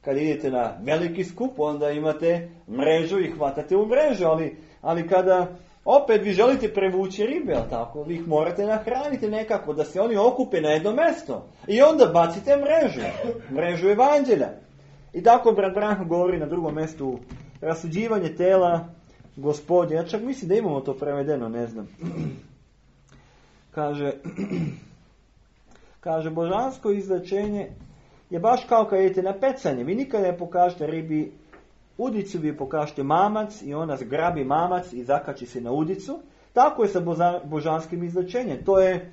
Kad idete na veliki skup, onda imate mrežu i hvatate u mrežu, ali, ali kada opet vi želite prevući ribe, jel tako? Vi ih morate nahraniti nekako, da se oni okupe na jedno mjesto. I onda bacite mrežu. Mrežu evanđelja. I tako brat Abraham govori na drugom mjestu rasuđivanje tela Gospodnje. Ja čak mislim da imamo to prevedeno, ne znam. Kaže, kaže božansko izlečenje je baš kao kad idete na pecanje. Vi nikada ne pokažete ribi udicu, vi pokažete mamac i ona zgrabi mamac i zakači se na udicu. Tako je sa božanskim izlečenjem. To je,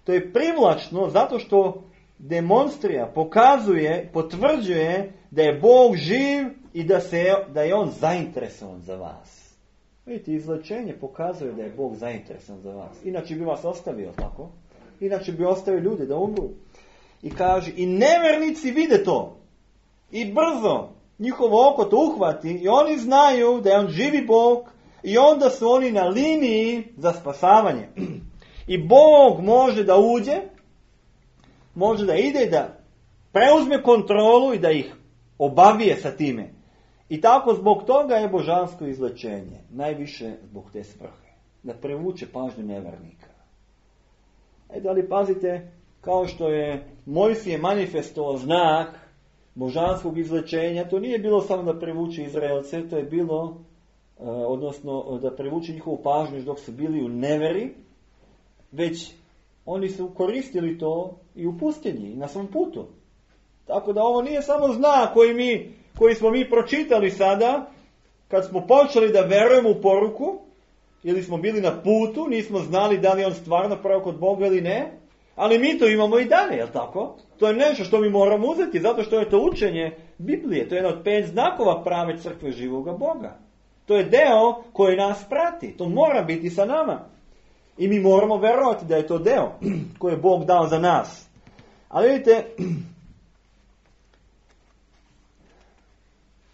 to je privlačno zato što demonstrira, pokazuje, potvrđuje da je Bog živ i da, se, da je on zainteresovan za vas. Vidite, izlečenje pokazuje da je Bog zainteresovan za vas. Inače bi vas ostavio, tako? Inače bi ostavio ljude da umru. I kaže, i nevernici vide to. I brzo njihovo oko to uhvati i oni znaju da je on živi Bog i onda su oni na liniji za spasavanje. I Bog može da uđe, može da ide, da preuzme kontrolu i da ih obavije sa time. I tako zbog toga je božansko izlečenje. Najviše zbog te svrhe. Da privuče pažnju nevernika. E da li pazite, kao što je Mojsije manifestovao znak božanskog izlečenja, to nije bilo samo da privuče Izraelce, to je bilo, odnosno da privuče njihovu pažnju dok su bili u neveri, već oni su koristili to i u pustinji, i na svom putu. Tako da ovo nije samo znak koji, mi, koji smo mi pročitali sada, kad smo počeli da verujemo u poruku, ili smo bili na putu, nismo znali da li on stvarno prorok od Boga ili ne, ali mi to imamo i dalje, je li tako? To je nešto što mi moramo uzeti, zato što je to učenje Biblije, to je jedan od pet znakova prave crkve živoga Boga. To je deo koji nas prati, to mora biti sa nama. I mi moramo verovati da je to deo koji je Bog dao za nas. Ali vidite,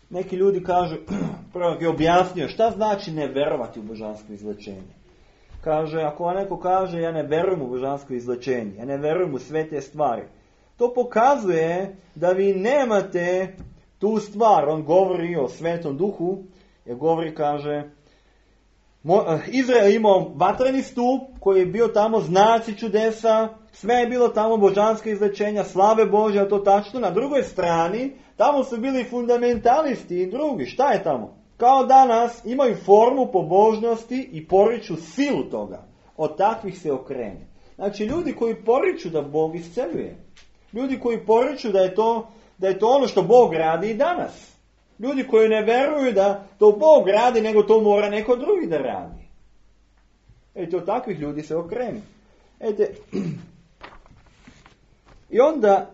neki ljudi kažu, prorok je objasnio šta znači ne verovati u božansko izlečenje. Kaže, ako neko kaže ja ne verujem u božansko izlečenje, ja ne verujem u sve te stvari, to pokazuje da vi nemate tu stvar. On govori o Svetom Duhu, jer govori, kaže, Izrael imao vatreni stup koji je bio tamo znaci čudesa, sve je bilo tamo božansko izlečenja, slave Božje, a to tačno. Na drugoj strani, tamo su bili fundamentalisti i drugi. Šta je tamo? Kao danas imaju formu pobožnosti i poriču silu toga. Od takvih se okrene. Znači ljudi koji poriču da Bog isceljuje. Ljudi koji poriču da je to, da je to ono što Bog radi i danas. Ljudi koji ne veruju da to Bog radi, nego to mora neko drugi da radi. Eto, od takvih ljudi se okrene. Ete, i onda,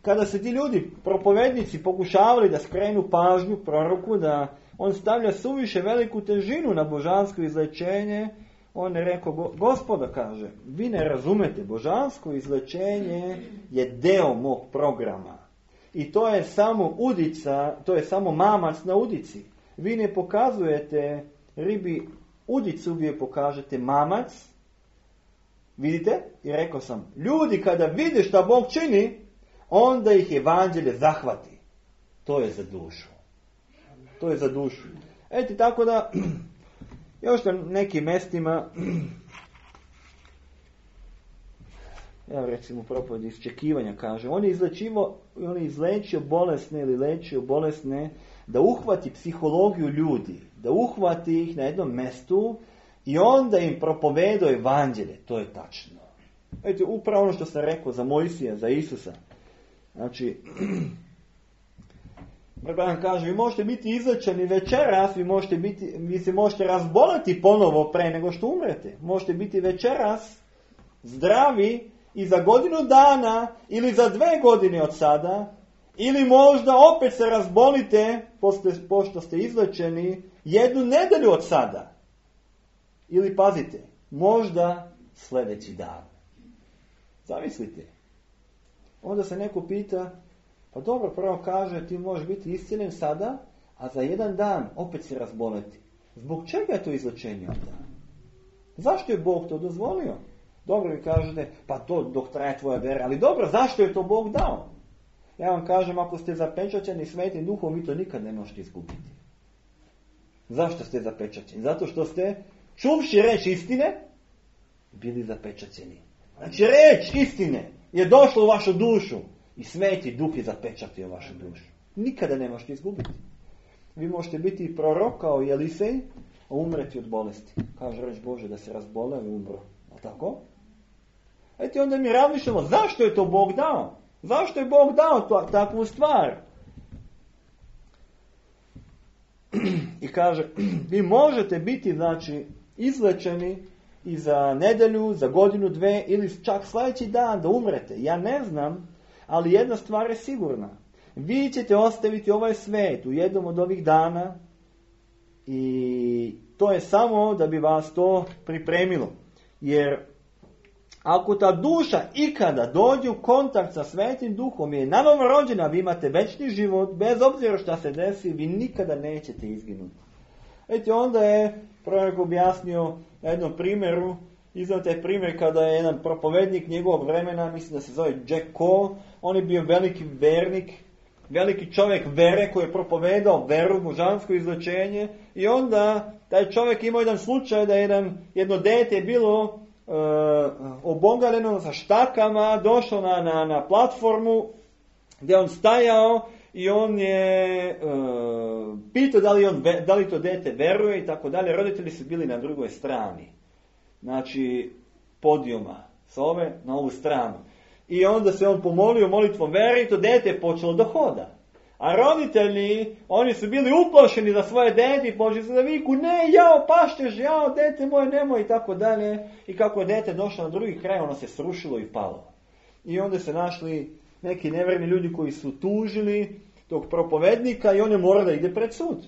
kada se ti ljudi, propovednici, pokušavali da skrenu pažnju proroku, da on stavlja suviše veliku težinu na božansko izlečenje, on je rekao, Gospoda, kaže, vi ne razumete, božansko izlečenje je deo mog programa. I to je samo udica, to je samo mamac na udici. Vi ne pokazujete ribi udicu, vi je pokažete mamac. Vidite? I rekao sam, ljudi kada vide šta Bog čini, onda ih evanđelje zahvati. To je za dušu. To je za dušu. Eto, tako da, još na nekim mestima, evo recimo propoved iščekivanja kaže, on je izlečivo, on je izlečio bolesne ili lečio bolesne da uhvati psihologiju ljudi, da uhvati ih na jednom mestu i onda im propovedao evanđelje. To je tačno. Eto, upravo ono što sam rekao za Mojsija, za Isusa. Znači, Bran kaže, vi možete biti izlečeni večeras, vi, možete biti, vi se možete razboliti ponovo pre nego što umrete. Možete biti večeras zdravi i za godinu dana ili za dve godine od sada, ili možda opet se razbolite pošto ste izlečeni jednu nedelju od sada. Ili pazite, možda sljedeći dan. Zamislite. Onda se neko pita, pa dobro, prvo kaže, ti možeš biti iscjeljen sada, a za jedan dan opet se razboleti. Zbog čega je to izlečenje onda? Zašto je Bog to dozvolio? Dobro, vi kažete, pa to dok traje tvoja vera, ali dobro, zašto je to Bog dao? Ja vam kažem, ako ste zapečaćeni Svetim Duhom, vi to nikad ne možete izgubiti. Zašto ste zapečaćeni? Zato što ste, čuvši reč istine, bili zapečaćeni. Znači, reč istine je došla u vašu dušu i Sveti Duh je zapečatio vašu dušu. Nikada ne možete izgubiti. Vi možete biti prorok kao i Elisej, a umreti od bolesti. Kaže reč Bože da se razbole i umro. A tako? Eto, onda mi razmišljamo, zašto je to Bog dao? Zašto je Bog dao to, takvu stvar? I kaže, vi možete biti, znači, izlečeni i za nedelju, za godinu, dve, ili čak sljedeći dan da umrete. Ja ne znam, ali jedna stvar je sigurna. Vi ćete ostaviti ovaj svijet u jednom od ovih dana i to je samo da bi vas to pripremilo. Jer ako ta duša ikada dođe u kontakt sa Svetim Duhom i je nanovo rođena, vi imate večni život, bez obzira šta se desi, vi nikada nećete izginuti. Eto, onda je prorok objasnio na jednom primjeru, iznad taj primjer kada je jedan propovednik njegovog vremena, mislim da se zove Jack Cole, on je bio veliki vernik veliki čovjek vere koji je propovedao veru, božansko izlečenje, i onda taj čovjek imao jedan slučaj da je jedan, jedno dete bilo e, obogaljeno sa štakama, došlo na, na, na platformu gdje on stajao i on je e, pitao da li, on, da li to dete veruje i tako dalje. Roditelji su bili na drugoj strani, znači podijuma, s ove na ovu stranu. I onda se on pomolio molitvom vere i to dete je počelo da hoda. A roditelji, oni su bili uplašeni za svoje dete i počeli su da viku, ne, jao, paštež, jao, dete moje, nemoj, i tako dalje. I kako je dete došlo na drugi kraj, ono se srušilo i palo. I onda se našli neki nevjerni ljudi koji su tužili tog propovednika i on je morao da ide pred sud.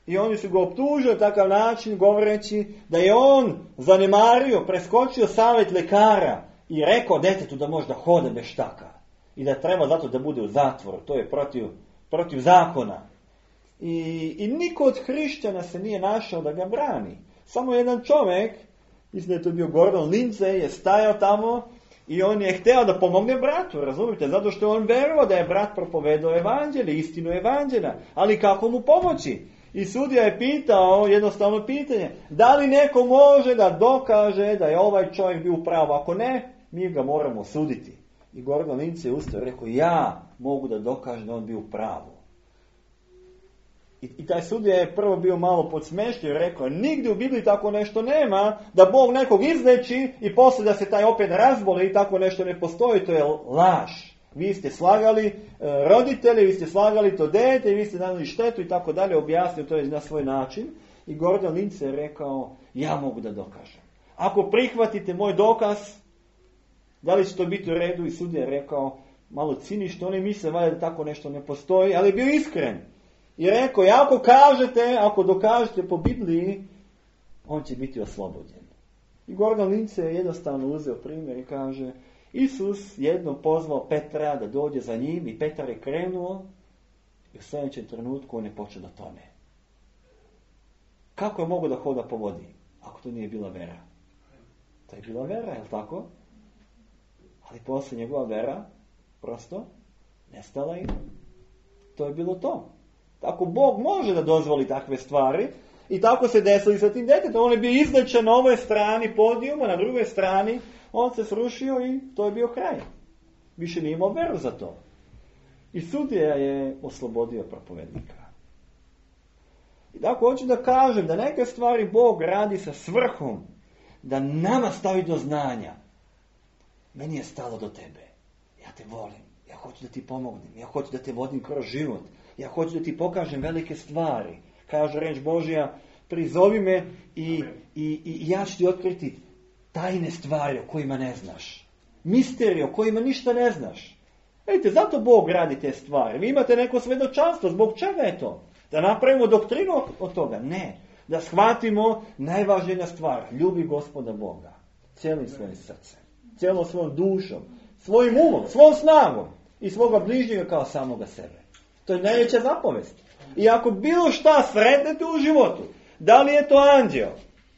I oni su ga optužili na takav način, govoreći da je on zanemario, preskočio savjet lekara i rekao detetu da može da hoda bez štaka. I da treba zato da bude u zatvoru. To je protiv, protiv zakona. I, I niko od hrišćana se nije našao da ga brani. Samo jedan čovjek, mislim da je to bio Gordon Lindsay, je stajao tamo i on je htio da pomogne bratu, razumijete? Zato što on verovao da je brat propovedao evanđelje, istinu evanđelja. Ali kako mu pomoći? I sudija je pitao jednostavno pitanje, da li neko može da dokaže da je ovaj čovjek bio u pravu? Ako ne, mi ga moramo suditi. I Gordon Lindsay je ustao i rekao, ja mogu da dokažem da on bio u pravu. I, I taj sudija je prvo bio malo podsmešio i rekao, nigdje u Bibliji tako nešto nema, da Bog nekog izleči i poslije da se taj opet razboli i tako nešto ne postoji, to je laž. Vi ste slagali e, roditelje, vi ste slagali to dete, vi ste nanijeli štetu i tako dalje, objasnio to je na svoj način. I Gordon Lindsay je rekao, ja mogu da dokažem. Ako prihvatite moj dokaz, da li će to biti u redu? I sudija je rekao, malo cinično, oni misle valjda da tako nešto ne postoji, ali je bio iskren. I rekao, ako kažete, ako dokažete po Bibliji, on će biti oslobođen. I Gordon Lindsay je jednostavno uzeo primjer i kaže, Isus jednom pozvao Petra da dođe za njim i Petar je krenuo i u sljedećem trenutku on je počeo da tone. Kako je mogo da hoda po vodi, ako to nije bila vera? To je bila vera, je li tako? Ali poslije njegova vera prosto nestala i to je bilo to. Tako Bog može da dozvoli takve stvari i tako se desilo sa tim djetetom. On je bio izlečen na ovoj strani podijuma, na drugoj strani on se srušio i to je bio kraj. Više nije imao veru za to. I sudija je oslobodio propovednika. I tako hoću da kažem da neke stvari Bog radi sa svrhom da nama stavi do znanja. Meni je stalo do tebe. Ja te volim. Ja hoću da ti pomognem. Ja hoću da te vodim kroz život. Ja hoću da ti pokažem velike stvari. Kaže reč Božja, prizovi me i, i, i ja ću ti otkriti tajne stvari o kojima ne znaš. Misterije o kojima ništa ne znaš. Vidite, zato Bog radi te stvari. Vi imate neko svedočanstvo. Zbog čega je to? Da napravimo doktrinu od toga? Ne. Da shvatimo najvažnija stvar. Ljubi Gospoda Boga. Cijelim svojim srcem. Cijelom svojom dušom. Svojim umom. Svojom snagom. I svoga bližnjega kao samoga sebe. To je najveća zapovest. I ako bilo šta sretnete u životu, da li je to anđeo,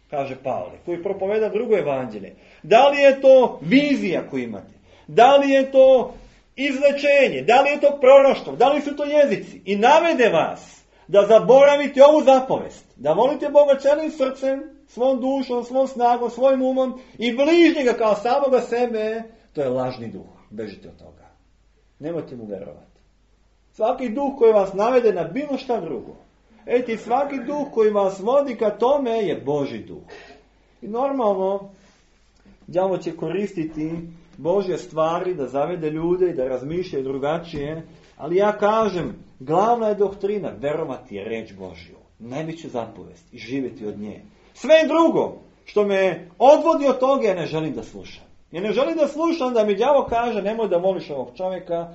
kaže Pavle, koji propoveda drugo evanđelje, da li je to vizija koju imate, da li je to izlečenje, da li je to proroštvo, da li su to jezici, i navede vas da zaboravite ovu zapovest, da volite Boga cijelim srcem, svom dušom, svom snagom, svojim umom i bližnjega kao samoga sebe, to je lažni duh. Bežite od toga. Nemojte mu verovati. Svaki duh koji vas navede na bilo šta drugo, eti svaki duh koji vas vodi ka tome je Božji duh. I normalno, đavo će koristiti Božje stvari da zavede ljude i da razmišljaju drugačije, ali ja kažem, glavna je doktrina verovati reč Božju, najveću zapovest i živjeti od nje. Sve drugo što me odvodi od toga ja ne želim da slušam. Ja ne želim da slušam da mi đavo kaže nemoj da voliš ovog čovjeka,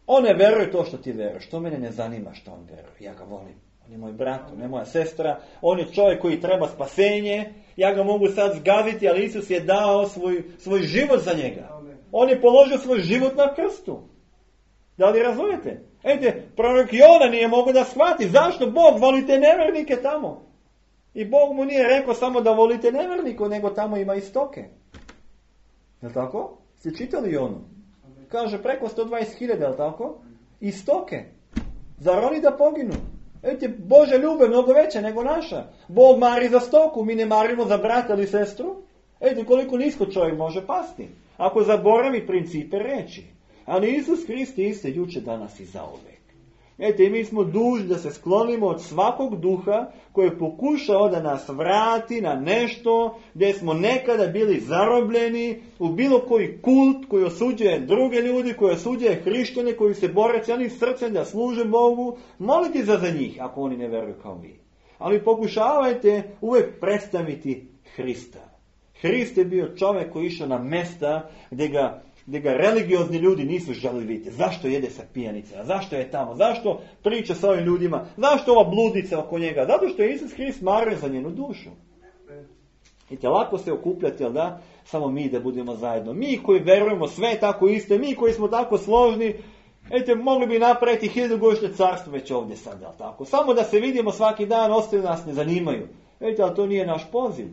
on ne veruje to što ti veruješ, to mene ne zanima što on veruje, ja ga volim. On je moj brat, on je moja sestra, on je čovjek koji treba spasenje, ja ga mogu sad zgaziti, ali Isus je dao svoj, svoj život za njega. On je položio svoj život na krstu. Da li razumijete? Ejte, prorok Jona nije mogao da shvati zašto Bog voli te nevernike tamo. I Bog mu nije rekao samo da volite nevernike, nego tamo ima i stoke. Je li tako? Ste čitali Jonu? Kaže preko sto dvadeset hiljada, je li tako? I stoke. Zar oni da poginu? Vidite, Božja ljubav je mnogo veća nego naša. Bog mari za stoku, mi ne marimo za brata ili sestru. Vidite koliko nisko čovjek može pasti. Ako zaboravi principe reči. Ali Isus Hrist je isti juče, danas i zauvek. Vidite, mi smo dužni da se sklonimo od svakog duha koji je pokušao da nas vrati na nešto gdje smo nekada bili zarobljeni u bilo koji kult koji osuđuje druge ljudi, koji osuđuje hrišćane, koji se bore cijelim srcem da služe Bogu. Molite za za njih ako oni ne veruju kao vi. Ali pokušavajte uvijek predstaviti Hrista. Hrist je bio čovjek koji išao na mesta gdje ga gdje ga religiozni ljudi nisu želili vidjeti. Zašto jede sa pijanicama? Zašto je tamo? Zašto priča sa ovim ljudima? Zašto ova bludnica oko njega? Zato što je Isus Hrist mario za njenu dušu. Vidite, lako se okupljati, ali da? Samo mi da budemo zajedno. Mi koji verujemo sve tako iste, mi koji smo tako složni, vidite, mogli bi napraviti hiljadugodišnje carstvo već ovdje sad, ali tako? Samo da se vidimo svaki dan, ostali nas ne zanimaju. Vidite, ali to nije naš poziv.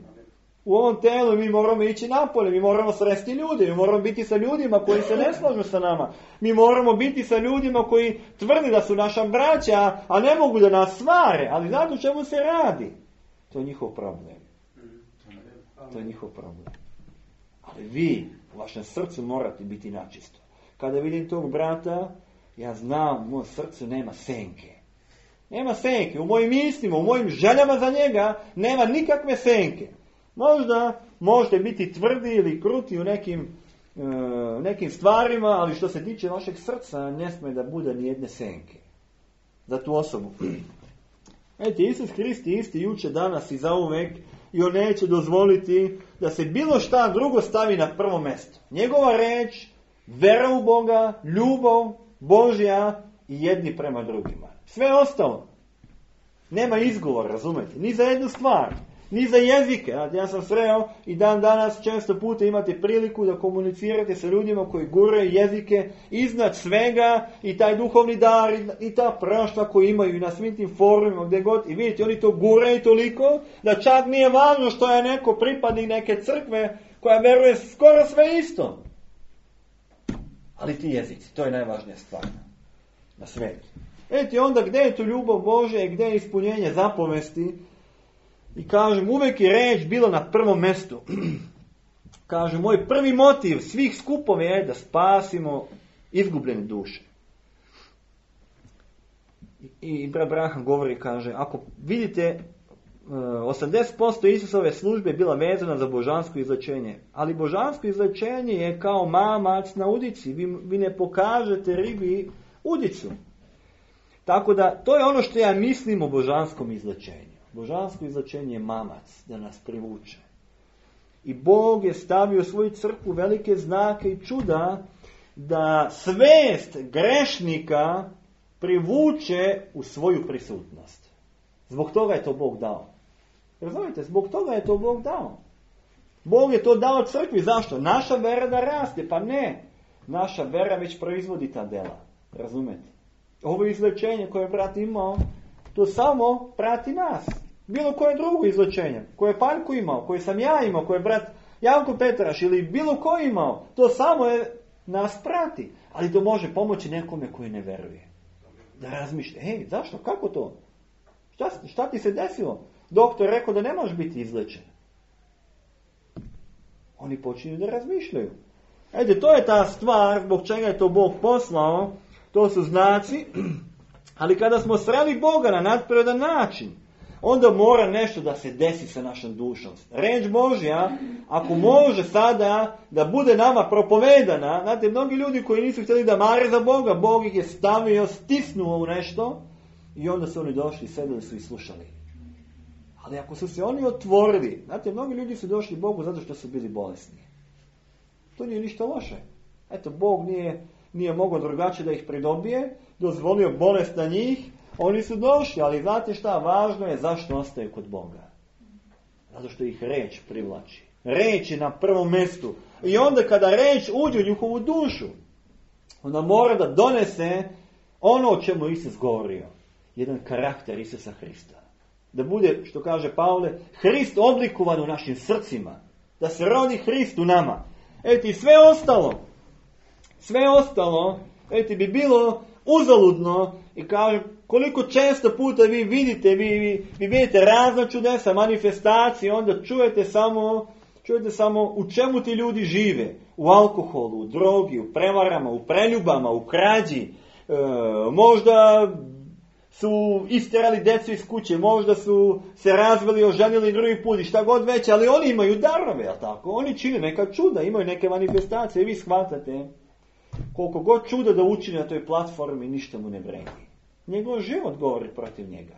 U ovom telu mi moramo ići napolje, mi moramo sresti ljude, mi moramo biti sa ljudima koji se ne slažu sa nama. Mi moramo biti sa ljudima koji tvrdi da su naša braća, a ne mogu da nas svare. Ali znate o čemu se radi? To je njihov problem. To je njihov problem. Ali vi u vašem srcu morate biti načisto. Kada vidim tog brata, ja znam, u mojom srcu nema senke. Nema senke. U mojim mislima, u mojim željama za njega nema nikakve senke. Možda možete biti tvrdi ili kruti u nekim, e, nekim stvarima, ali što se tiče vašeg srca, ne smije da bude ni jedne senke za tu osobu. Vidite, Isus Hrist je isti juče, danas i zauvek, i on neće dozvoliti da se bilo šta drugo stavi na prvo mjesto. Njegova reč, vera u Boga, ljubav Božja i jedni prema drugima. Sve ostalo. Nema izgovor, razumete? Ni za jednu stvar. Ni za jezike. Ja sam sreo i dan danas često puta imate priliku da komunicirate sa ljudima koji guraju jezike iznad svega i taj duhovni dar i ta prašta koju imaju na svim tim forumima gdje god. I vidite, oni to guraju toliko da čak nije važno što je neko pripadnik neke crkve koja veruje skoro sve isto. Ali ti jezici, to je najvažnija stvar na svijetu. Vidite, onda gdje je tu ljubav Božja i gdje je ispunjenje zapovesti? I kažem, uvijek je reč bilo na prvom mjestu. Kažem, moj prvi motiv svih skupova je da spasimo izgubljene duše. I brat Braham govori, kaže, ako vidite, osamdeset posto Isusove službe je bila vezana za božansko izlečenje. Ali božansko izlečenje je kao mamac na udici. Vi, vi ne pokažete ribi udicu. Tako da, to je ono što ja mislim o božanskom izlečenju. Božansko izlečenje je mamac da nas privuče. I Bog je stavio u svoju crkvu velike znake i čuda da svest grešnika privuče u svoju prisutnost. Zbog toga je to Bog dao. Razumite? Zbog toga je to Bog dao. Bog je to dao crkvi. Zašto? Naša vera da raste. Pa ne. Naša vera već proizvodi ta dela. Razumete? Ovo izlečenje koje je brat imao, to samo prati nas. Bilo koje drugo izlečenje, koje je Paljko imao, koje sam ja imao, koje je brat Janko Petraš ili bilo ko imao, to samo je nas prati. Ali to može pomoći nekome koji ne veruje. Da razmišlja, hej, zašto, kako to? Šta, šta ti se desilo? Doktor rekao da ne može biti izlečen. Oni počinju da razmišljaju. Ede, to je ta stvar zbog čega je to Bog poslao. To su znaci. Ali kada smo sreli Boga na nadprirodan način, onda mora nešto da se desi sa našom dušom. Reč Božja, ako može sada da bude nama propovedana, znate, mnogi ljudi koji nisu htjeli da mare za Boga, Bog ih je stavio, stisnuo u nešto i onda su oni došli, sedeli su i slušali. Ali ako su se oni otvorili, znate, mnogi ljudi su došli Bogu zato što su bili bolesni. To nije ništa loše. Eto, Bog nije, nije mogao drugačije da ih pridobije, dozvolio bolest na njih, oni su došli, ali znate šta, važno je zašto ostaju kod Boga. Zato što ih reč privlači. Reč je na prvom mjestu. I onda kada reč uđe u njihovu dušu, onda mora da donese ono o čemu Isus govorio. Jedan karakter Isusa Hrista. Da bude, što kaže Pavle, Hrist oblikovan u našim srcima. Da se rodi Hrist u nama. Eti, sve ostalo, sve ostalo, eti, bi bilo uzaludno I kaže, koliko često puta vi vidite, vi, vi, vi vidite razna čudesa, manifestacije, onda čujete samo, čujete samo u čemu ti ljudi žive. U alkoholu, u drogi, u prevarama, u preljubama, u krađi. E, možda su istjerali djecu iz kuće, možda su se razveli, oženili drugi put i šta god već, ali oni imaju darove, jel tako? Oni čine neka čuda, imaju neke manifestacije i vi shvatate koliko god čuda da učini na toj platformi, ništa mu ne vredi. Njegov život govori protiv njega.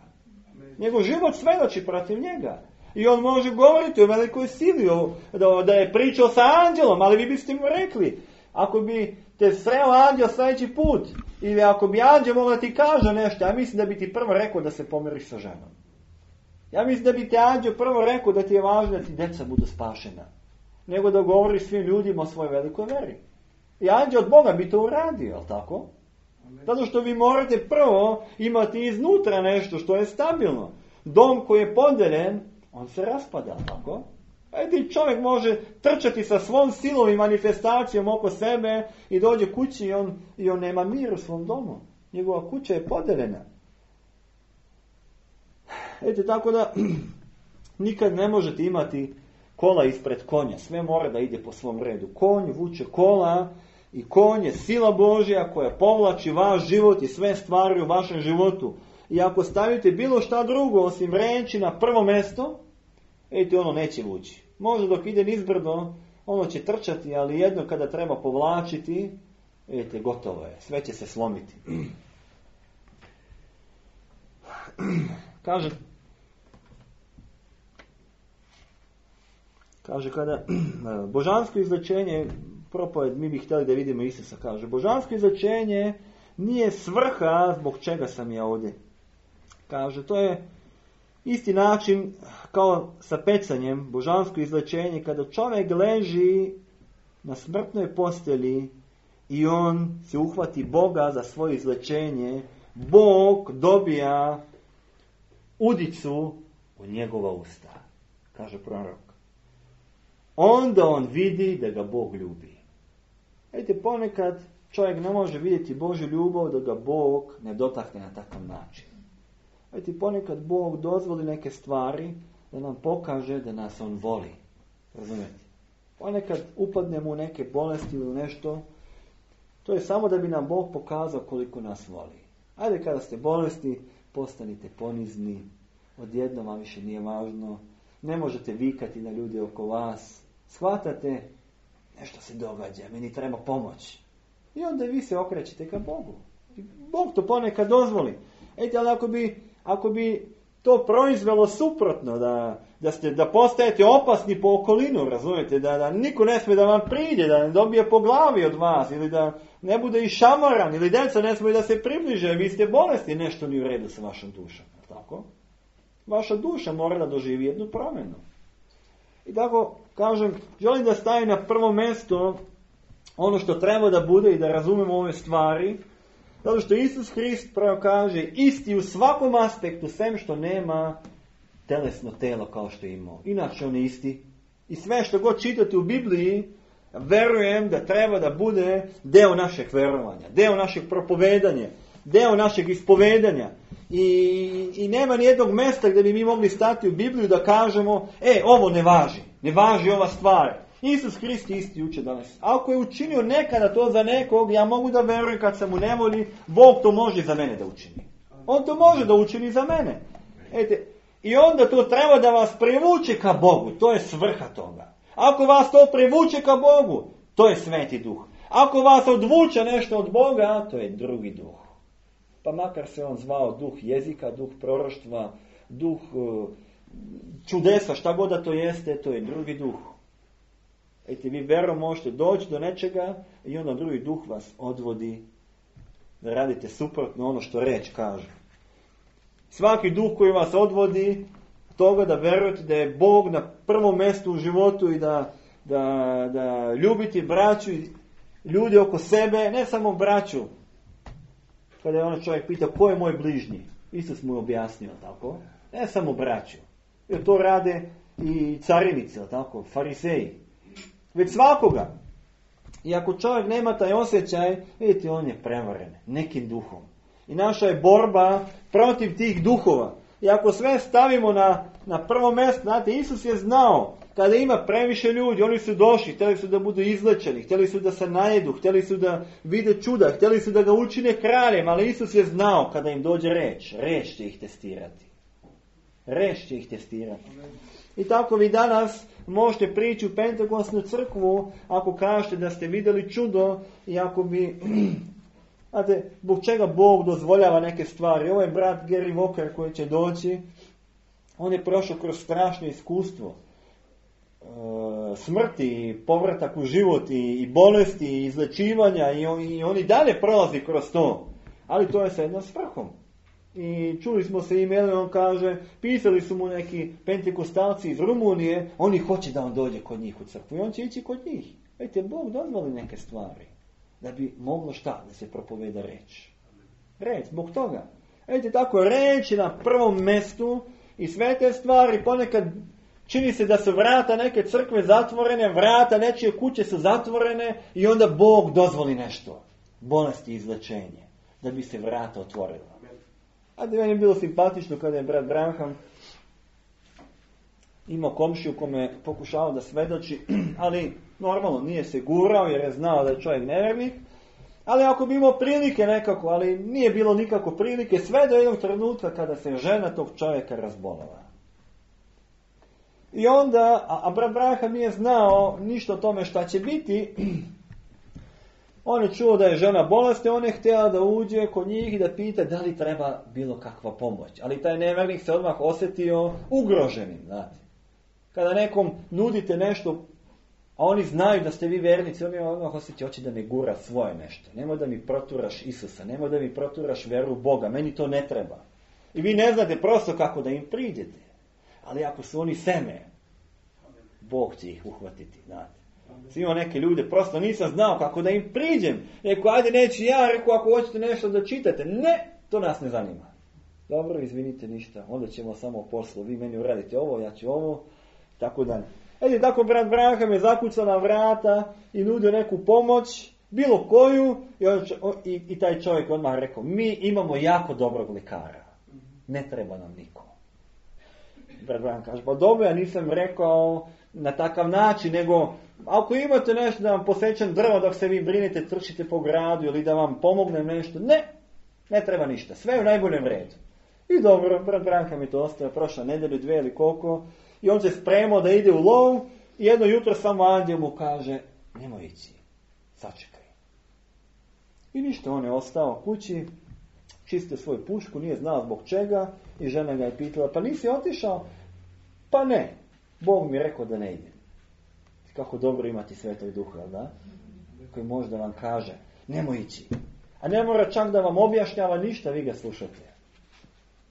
Njegov život svedoči protiv njega. I on može govoriti o velikoj sili, o, da, da je pričao sa anđelom, ali vi biste mu rekli, ako bi te sreo anđel sljedeći put, ili ako bi anđel mogla da ti kaže nešto, ja mislim da bi ti prvo rekao da se pomiriš sa ženom. Ja mislim da bi ti anđel prvo rekao da ti je važno da ti djeca budu spašena, nego da govori svim ljudima o svojoj velikoj veri. I anđel od Boga bi to uradio, jel tako? Zato što vi morate prvo imati iznutra nešto što je stabilno. Dom koji je podeljen, on se raspada, tako? Ajde, čovjek može trčati sa svom silom i manifestacijom oko sebe i dođe kući i on, i on nema mir u svom domu. Njegova kuća je podeljena. Ejte, tako da nikad ne možete imati kola ispred konja. Sve mora da ide po svom redu. Konj vuče kola i konj je sila Božja koja povlači vaš život i sve stvari u vašem životu. I ako stavite bilo šta drugo osim reči na prvo mjesto, ejte, ono neće vući. Možda dok ide nizbrdo, ono će trčati, ali jedno kada treba povlačiti, ejte, gotovo je. Sve će se slomiti. Kaže, kaže kada božansko izlečenje, propoved, mi bi htjeli da vidimo Isusa, kaže, božansko izlečenje nije svrha zbog čega sam ja ovdje. Kaže, to je isti način kao sa pecanjem, božansko izlečenje, kada čovjek leži na smrtnoj postelji i on se uhvati Boga za svoje izlečenje, Bog dobija udicu u njegova usta, kaže prorok. Onda on vidi da ga Bog ljubi. Vidite, ponekad čovjek ne može vidjeti Božju ljubav da ga Bog ne dotakne na takav način. Vidite, ponekad Bog dozvoli neke stvari da nam pokaže da nas on voli. Razumijete? Ponekad upadnemo u neke bolesti ili u nešto, to je samo da bi nam Bog pokazao koliko nas voli. Ajde, kada ste bolesti, postanite ponizni, odjednom vam više nije važno, ne možete vikati na ljude oko vas, shvatate, nešto se događa, meni treba pomoć. I onda vi se okrećete ka Bogu. I Bog to ponekad dozvoli. Ejte, ali ako bi, ako bi to proizvelo suprotno, da, da, ste, da postajete opasni po okolinu, razumijete, da, da niko ne smije da vam pride, da ne dobije po glavi od vas, ili da ne bude i šamaran, ili djeca ne smije da se približe, vi ste bolesti, nešto nije u redu sa vašom dušom. Tako? Vaša duša mora da doživi jednu promjenu. I tako, kažem, želim da stavim na prvo mjesto ono što treba da bude i da razumemo ove stvari, zato što Isus Hrist pravo kaže isti u svakom aspektu, sem što nema telesno telo kao što je imao. Inače on je isti. I sve što god čitate u Bibliji, verujem da treba da bude deo našeg verovanja, deo našeg propovedanja, deo našeg ispovedanja. I, i nema nijednog mjesta gdje bi mi mogli stati u Bibliju da kažemo, e, ovo ne važi, ne važi ova stvar. Isus Hrist isti juče danas. Ako je učinio nekada to za nekog, ja mogu da verujem kad se mu ne voli, Bog to može za mene da učini. On to može da učini za mene. Ete, i onda to treba da vas privuče ka Bogu, to je svrha toga. Ako vas to privuče ka Bogu, to je Sveti Duh. Ako vas odvuče nešto od Boga, to je drugi duh. Pa makar se on zvao duh jezika, duh proroštva, duh uh, čudesa, šta god da to jeste, to je drugi duh. Ejte, vi verom možete doći do nečega i onda drugi duh vas odvodi da radite suprotno ono što reč kaže. Svaki duh koji vas odvodi toga da verujete da je Bog na prvom mjestu u životu i da, da, da ljubite braću i ljudi oko sebe, ne samo braću. Kada je ono čovjek pita ko je moj bližnji, Isus mu je objasnio, tako? Ne samo braću. Jer to rade i carinici, tako? Fariseji. Već svakoga. I ako čovjek nema taj osjećaj, vidite, on je prevaren nekim duhom. I naša je borba protiv tih duhova. I ako sve stavimo na, na prvo mjesto, znate, Isus je znao kada ima previše ljudi, oni su došli, htjeli su da budu izlečeni, htjeli su da se najedu, htjeli su da vide čuda, htjeli su da ga učine kraljem, ali Isus je znao kada im dođe reč, reč će ih testirati. Reč će ih testirati. I tako vi danas možete prići u Pentekostnu crkvu ako kažete da ste vidjeli čudo i ako bi... Znate, zbog čega Bog dozvoljava neke stvari. Ovo je brat Gary Walker koji će doći. On je prošao kroz strašno iskustvo. E, smrti, povratak u život i, i bolesti, i izlečivanja i on, i on i dalje prolazi kroz to. Ali to je sa jednom svrhom. I čuli smo se emailom, on kaže, pisali su mu neki pentekostalci iz Rumunije, oni hoće da on dođe kod njih u crkvu i on će ići kod njih. Vidite, Bog dozvoli neke stvari. Da bi moglo šta? Da se propoveda reč. Reč, zbog toga. Vidite, tako reč je na prvom mjestu i sve te stvari ponekad čini se da su vrata neke crkve zatvorene, vrata nečije kuće su zatvorene i onda Bog dozvoli nešto. Bolesti i izlečenje. Da bi se vrata otvorila. A da meni je bilo simpatično kada je brat Branham imao komšiju kome pokušao da svedoči, ali normalno nije se gurao jer je znao da je čovjek nevjernik, ali ako bi imao prilike nekako, ali nije bilo nikako prilike, sve do jednog trenutka kada se žena tog čovjeka razbolala. I onda, a, a brat Branham nije znao ništa o tome šta će biti, on je čuo da je žena bolesna, on je htio da uđe kod njih i da pita da li treba bilo kakva pomoć. Ali taj nevjernik se odmah osjetio ugroženim, znate. Kada nekom nudite nešto, a oni znaju da ste vi vernici, oni odmah osjećaju, hoće da mi gura svoje nešto. Nemoj da mi proturaš Isusa, nemoj da mi proturaš veru u Boga, meni to ne treba. I vi ne znate prosto kako da im priđete. Ali ako su oni seme, Bog će ih uhvatiti, znate. Svi imao neke ljude, prosto nisam znao kako da im priđem. Rekao, ajde neću ja, rekao, ako hoćete nešto da čitate. Ne, to nas ne zanima. Dobro, izvinite ništa, onda ćemo samo poslu. Vi meni uradite ovo, ja ću ovo, tako dalje. Edi, tako brat Branham je zakucao na vrata i nudio neku pomoć, bilo koju, i, on, i, i taj čovjek odmah rekao, mi imamo jako dobrog lekara. Ne treba nam niko. Brat Branham kaže, pa dobro, ja nisam rekao na takav način, nego ako imate nešto da vam posjećam drvo dok se vi brinete, trčite po gradu ili da vam pomognem nešto, ne, ne treba ništa, sve je u najboljem redu. I dobro, brat Branham je to ostavio, prošla nedelju, dvije ili koliko, i on se spremao da ide u lov i jedno jutro samo anđel mu kaže, nemoj ići, sačekaj. I ništa, on je ostao kući, čistio svoju pušku, nije znao zbog čega i žena ga je pitala, pa nisi otišao? Pa ne, Bog mi je rekao da ne idem. Kako dobro imati Svetog Duha, da? Koji može da vam kaže, nemoj ići. A ne mora čak da vam objašnjava ništa, vi ga slušate.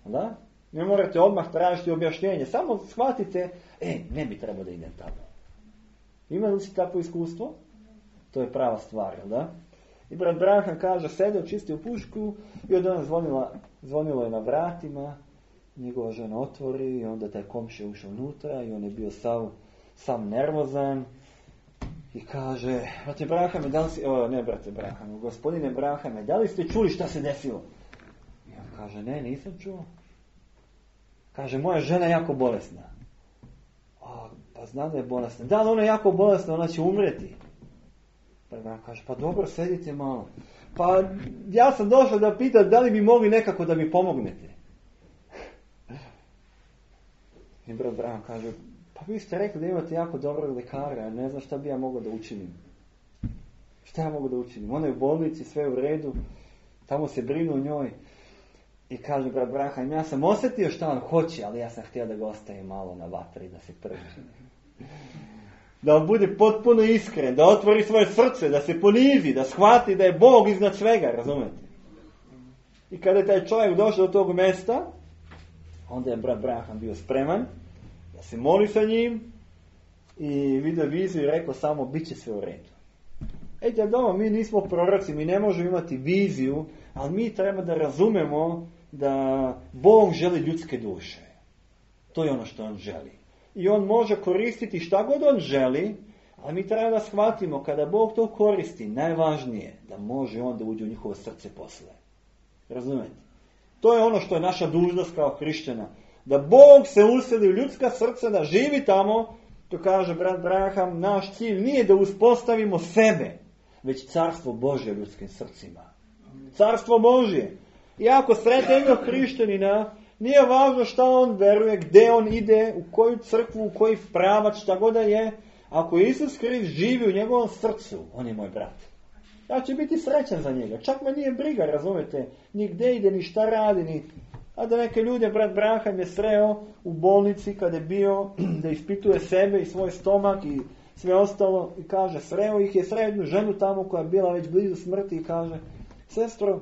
Da? Ne morate odmah tražiti objašnjenje, samo shvatite, e, ne bi trebao da idem tamo. Ima li si takvo iskustvo? To je prava stvar, da? I brat Branham kaže, sedeo, čistio pušku i od ona zvonila, zvonilo je na vratima, njegova žena otvori i onda taj komšija ušao unutra i on je bio sav, sam nervozan i kaže, brate Branhame, da li si, o, ne brate Branhame, gospodine Branhame, da li ste čuli šta se desilo? I on kaže, ne, nisam čuo. Kaže, moja žena je jako bolesna. A, pa znam da je bolesna. Da li ona je jako bolesna, ona će umreti. Pa Branham kaže, pa dobro, sedite malo. Pa ja sam došao da pitam da li bi mogli nekako da mi pomognete. I brat Branham kaže, pa vi ste rekli da imate jako dobrog lekara, ja ne znam šta bi ja mogao da učinim. Šta ja mogu da učinim? Ona je u bolnici, sve u redu, tamo se brinu o njoj. I kaže brat Branham, ja sam osjetio šta on hoće, ali ja sam htio da ga ostaje malo na vatri, da se prži. Da on bude potpuno iskren, da otvori svoje srce, da se ponizi, da shvati da je Bog iznad svega, razumete? I kada je taj čovjek došao do tog mjesta, onda je brat Branham bio spreman da se moli sa njim i vidio viziju i rekao samo, bit će sve u redu. Ejte, doma, mi nismo proroci, mi ne možemo imati viziju, ali mi treba da razumemo da Bog želi ljudske duše. To je ono što on želi. I on može koristiti šta god on želi, ali mi treba da shvatimo kada Bog to koristi, najvažnije da može on da uđe u njihovo srce posle. Razumete? To je ono što je naša dužnost kao hrišćana. Da Bog se useli u ljudska srca, da živi tamo, to kaže brat Braham, naš cilj nije da uspostavimo sebe, već carstvo Božje u ljudskim srcima. Carstvo Božje. I ako sretne jednog hrišćanina, nije važno šta on veruje, gdje on ide, u koju crkvu, u koji pravac, šta god da je. Ako Isus Hrist živi u njegovom srcu, on je moj brat. Ja ću biti srećan za njega. Čak me nije briga, razumete, ni gdje ide, ni šta radi, ni... A da neke ljude, brat Braham je sreo u bolnici kada je bio, da ispituje sebe i svoj stomak i sve ostalo, i kaže, sreo ih je, sreo jednu ženu tamo koja je bila već blizu smrti i kaže, sestro,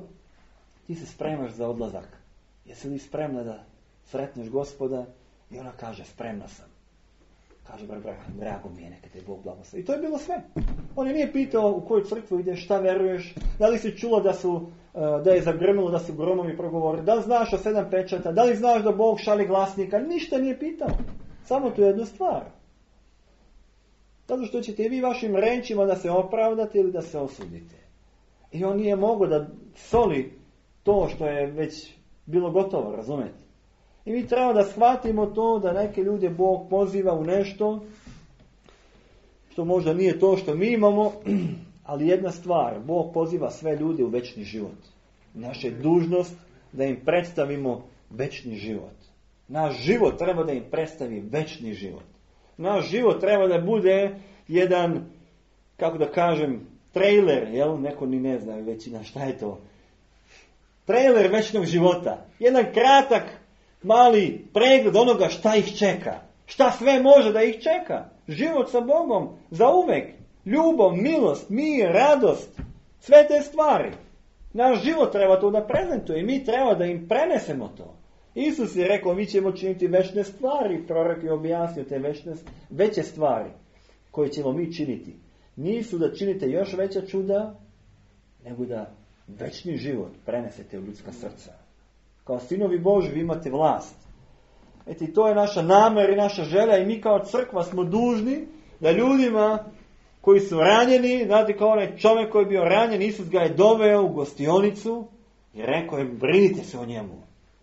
ti se spremaš za odlazak. Jesi li spremna da sretneš Gospoda? I ona kaže, spremna sam. Kaže, brat Braham, drago mi je, neka te Bog blagoslovi. I to je bilo sve. On je nije pitao u koju crkvu ideš, šta veruješ, da li si čulo da su da je zagrnulo, da su gromovi progovorili, da li znaš o sedam pečata, da li znaš da Bog šalje glasnika, ništa nije pitao. Samo tu jednu stvar. Zato što ćete i vi vašim rečima da se opravdate ili da se osudite. I on nije mogao da soli to što je već bilo gotovo, razumete? I mi treba da shvatimo to da neke ljude Bog poziva u nešto što možda nije to što mi imamo, ali jedna stvar, Bog poziva sve ljude u večni život. Naša je dužnost da im predstavimo večni život. Naš život treba da im predstavi večni život. Naš život treba da bude jedan, kako da kažem, trailer, jel? Neko ni ne zna većina šta je to. Trailer večnog života. Jedan kratak, mali pregled onoga šta ih čeka. Šta sve može da ih čeka. Život sa Bogom, za uvek. Ljubav, milost, mir, radost. Sve te stvari. Naš život treba to da prezentuje i mi treba da im prenesemo to. Isus je rekao, mi ćemo činiti večne stvari. Prorok je objasnio te večne, veće stvari koje ćemo mi činiti. Nisu da činite još veća čuda, nego da večni život prenesete u ljudska srca. Kao sinovi Božji vi imate vlast. Eto, to je naša namjer i naša želja i mi kao crkva smo dužni da ljudima koji su ranjeni, znate kao onaj čovjek koji je bio ranjen, Isus ga je doveo u gostionicu i rekao je, brinite se o njemu.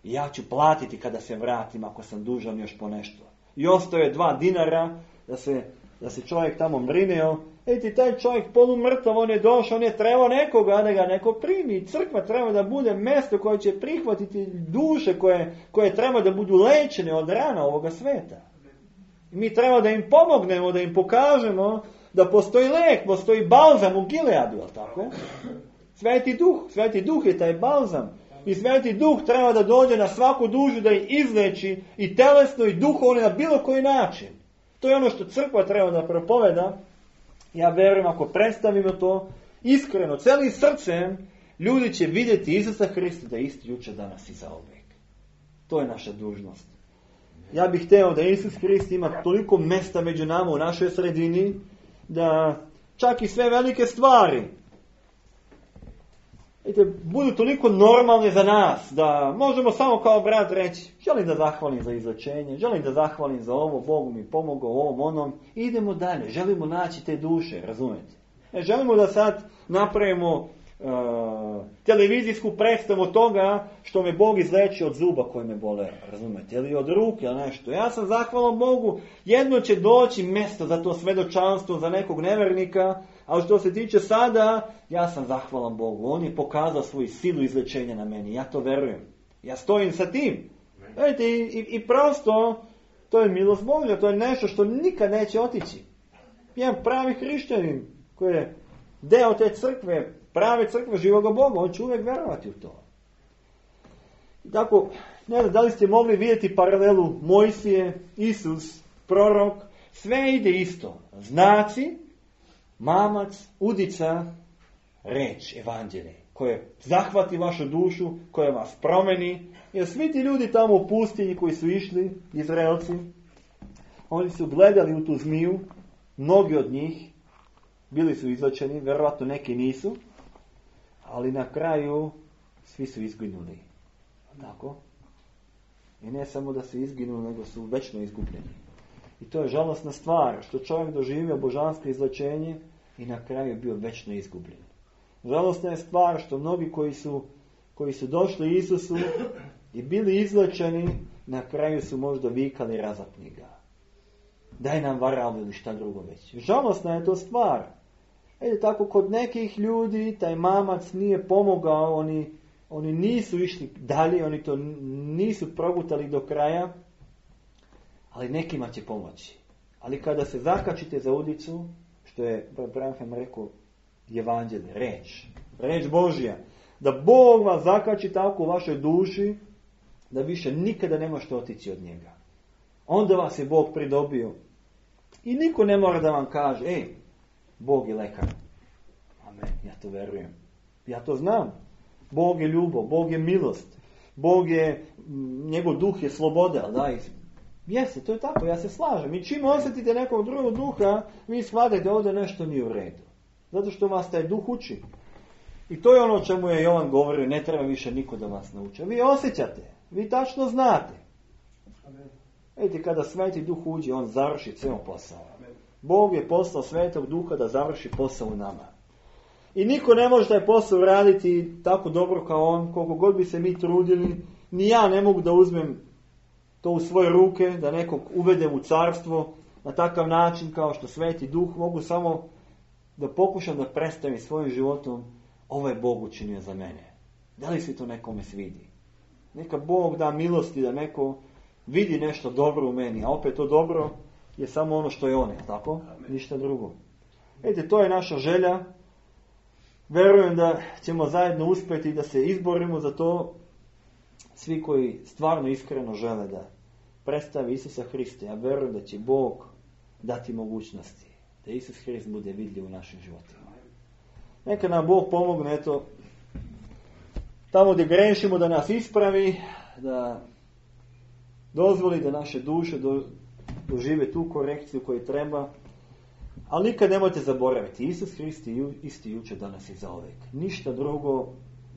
I ja ću platiti kada se vratim ako sam dužan još po nešto. I ostao je dva dinara da se, da se čovjek tamo brineo. Eti, taj čovjek polumrtav, on je došao, on je trebao nekoga da ga neko primi. Crkva treba da bude mjesto koje će prihvatiti duše koje, koje treba da budu lečene od rana ovoga sveta. I mi treba da im pomognemo, da im pokažemo da postoji lek, postoji balzam u Gileadu, je li tako? Sveti duh, sveti duh je taj balzam. I sveti duh treba da dođe na svaku dušu da ih izleči i telesno i duhovno na bilo koji način. To je ono što crkva treba da propoveda. Ja verujem, ako predstavimo to iskreno, celim srcem, ljudi će vidjeti Isusa Hrista da je isti jučer, danas i zauvijek. To je naša dužnost. Ja bih hteo da Isus Hrist ima toliko mjesta među nama u našoj sredini, da čak i sve velike stvari Ete, budu toliko normalne za nas, da možemo samo kao brat reći, želim da zahvalim za izlečenje, želim da zahvalim za ovo, Bog mi pomogao ovom onom, i idemo dalje, želimo naći te duše, razumete? Ne želimo da sad napravimo uh, televizijsku predstavu toga što me Bog izleči od zuba koji me bole, razumete? Ili od ruke, ili nešto. Ja sam zahvalan Bogu, jedno će doći mjesto za to svedočanstvo, za nekog nevernika, ali što se tiče sada, ja sam zahvalan Bogu. On je pokazao svoju silu izlečenja na meni. Ja to verujem. Ja stojim sa tim. Vidite, i, i, i prosto, to je milost Božja. To je nešto što nikad neće otići. Jedan pravi hrišćanin koji je deo te crkve, prave crkve živoga Boga, on će uvijek verovati u to. I tako, ne znam, da li ste mogli vidjeti paralelu Mojsije, Isus, prorok, sve ide isto. Znaci, mamac, udica, reč, evanđelje, koje zahvati vašu dušu, koje vas promeni. Jer svi ti ljudi tamo u pustinji koji su išli, Izraelci, oni su gledali u tu zmiju, mnogi od njih bili su izlečeni, vjerojatno neki nisu, ali na kraju svi su izginuli. Tako? I ne samo da su izginuli, nego su večno izgubljeni. I to je žalosna stvar, što čovjek doživio božansko izlečenje i na kraju je bio večno izgubljen. Žalosna je stvar što mnogi koji su koji su došli Isusu i bili izlečeni, na kraju su možda vikali razapni ga. Daj nam varal ili šta drugo već. Žalosna je to stvar. Ede tako kod nekih ljudi taj mamac nije pomogao, oni, oni nisu išli dalje, oni to nisu progutali do kraja, ali nekima će pomoći. Ali kada se zakačite za udicu, što je Branham rekao, evanđelje, reč, reč Božja, da Bog vas zakači tako u vašoj duši, da više nikada ne možete otići od njega. Onda vas je Bog pridobio. I niko ne mora da vam kaže, ej, Bog je lekar. Amen, ja to verujem. Ja to znam. Bog je ljubav, Bog je milost. Bog je, njegov duh je sloboda. Da, jeste, to je tako, ja se slažem. I čim osjetite nekog drugog duha, vi shvatite ovdje nešto nije u redu. Zato što vas taj duh uči. I to je ono o čemu je Jovan govorio, ne treba više niko da vas nauči. Vi osjećate, vi tačno znate. Vidite, kada Sveti Duh uđe, on završi ceo posao. Bog je poslao Svetog Duha da završi posao u nama. I niko ne može taj posao raditi tako dobro kao on, koliko god bi se mi trudili. Ni ja ne mogu da uzmem to u svoje ruke, da nekog uvedem u carstvo na takav način kao što Sveti Duh. Mogu samo da pokušam da predstavim svojim životom, ovo je Bog učinio za mene. Da li se to nekome svidi? Neka Bog da milosti da neko vidi nešto dobro u meni, a opet to dobro je samo ono što je on, tako? Ništa drugo. Vidite, to je naša želja. Verujem da ćemo zajedno uspjeti da se izborimo za to. Svi koji stvarno iskreno žele da predstavi Isusa Hrista, ja verujem da će Bog dati mogućnosti da Isus Hrist bude vidljiv u našim životima. Neka nam Bog pomogne, eto, tamo gdje grešimo da nas ispravi, da dozvoli da naše duše do, dožive tu korekciju koju treba. Ali nikad nemojte zaboraviti, Isus Hrist je isti jučer, danas i zauvijek. Ništa drugo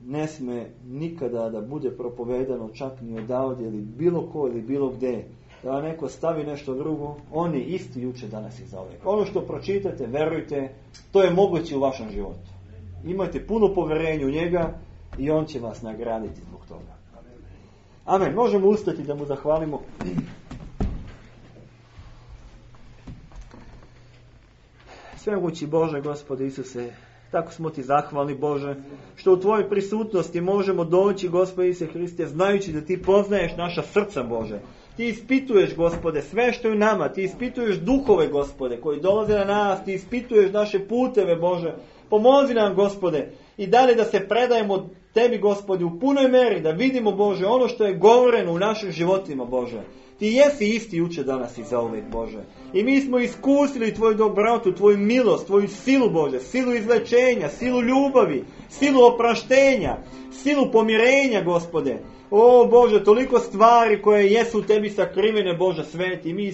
ne sme nikada da bude propovedano, čak ni odavde ili bilo ko ili bilo gdje. Da neko stavi nešto drugo, on je isti jučer, danas i zauvijek. Ono što pročitate, verujte, to je moguće u vašem životu. Imajte puno povjerenja u njega i on će vas nagraditi zbog toga. Amen. Možemo ustati da mu zahvalimo. Svemogući Bože, Gospode Isuse, tako smo ti zahvalni, Bože, što u tvojoj prisutnosti možemo doći, Gospode Isuse Hriste, znajući da ti poznaješ naša srca, Bože. Ti ispituješ, Gospode, sve što je u nama, ti ispituješ duhove, Gospode, koji dolaze na nas, ti ispituješ naše puteve, Bože. Pomozi nam, Gospode, i dalje da se predajemo tebi, Gospode, u punoj meri, da vidimo, Bože, ono što je govoreno u našim životima, Bože. Ti jesi isti jučer, danas i zauvijek, Bože. I mi smo iskusili tvoju dobrotu, tvoju milost, tvoju silu, Bože, silu izlečenja, silu ljubavi, silu opraštenja, silu pomirenja, Gospode. O, Bože, toliko stvari koje jesu u tebi sakrivene, Bože, sveti. Mi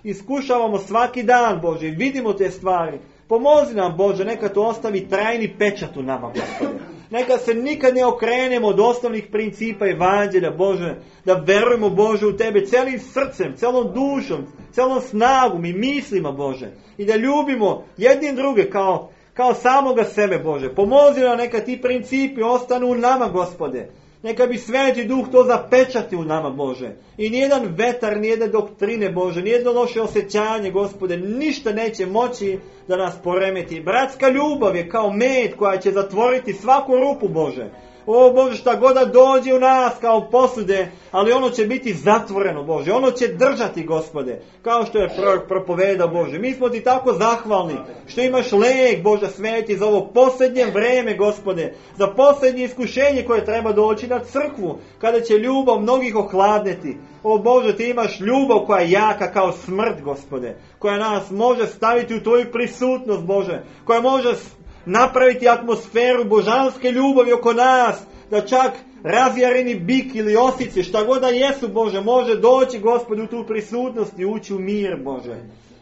iskušavamo svaki dan, Bože, i vidimo te stvari. Pomozi nam, Bože, neka to ostavi trajni pečat u nama, Gospode. Neka se nikad ne okrenemo od osnovnih principa evanđelja, Bože, da verujemo, Bože, u tebe celim srcem, celom dušom, celom snagom i mislima, Bože. I da ljubimo jednim druge kao, kao samoga sebe, Bože. Pomozi nam, neka ti principi ostanu u nama, Gospode. Neka bi Sveti Duh to zapečati u nama, Bože. I nijedan vetar, nijedne doktrine, Bože, nijedno loše osjećanje, Gospode, ništa neće moći da nas poremeti. Bratska ljubav je kao med koja će zatvoriti svaku rupu, Bože. O, Bože, šta god da dođe u nas kao posude, ali ono će biti zatvoreno, Bože. Ono će držati, Gospode, kao što je prorok propovedao, Bože. Mi smo ti tako zahvalni što imaš lijek, Bože sveti, za ovo posljednje vreme, Gospode, za posljednje iskušenje koje treba doći na crkvu, kada će ljubav mnogih ohladneti. O, Bože, ti imaš ljubav koja je jaka kao smrt, Gospode, koja nas može staviti u tvoju prisutnost, Bože, koja može napraviti atmosferu božanske ljubavi oko nas, da čak razjareni bik ili osice, šta god da jesu, Bože, može doći, Gospode, u tu prisutnost i ući u mir, Bože.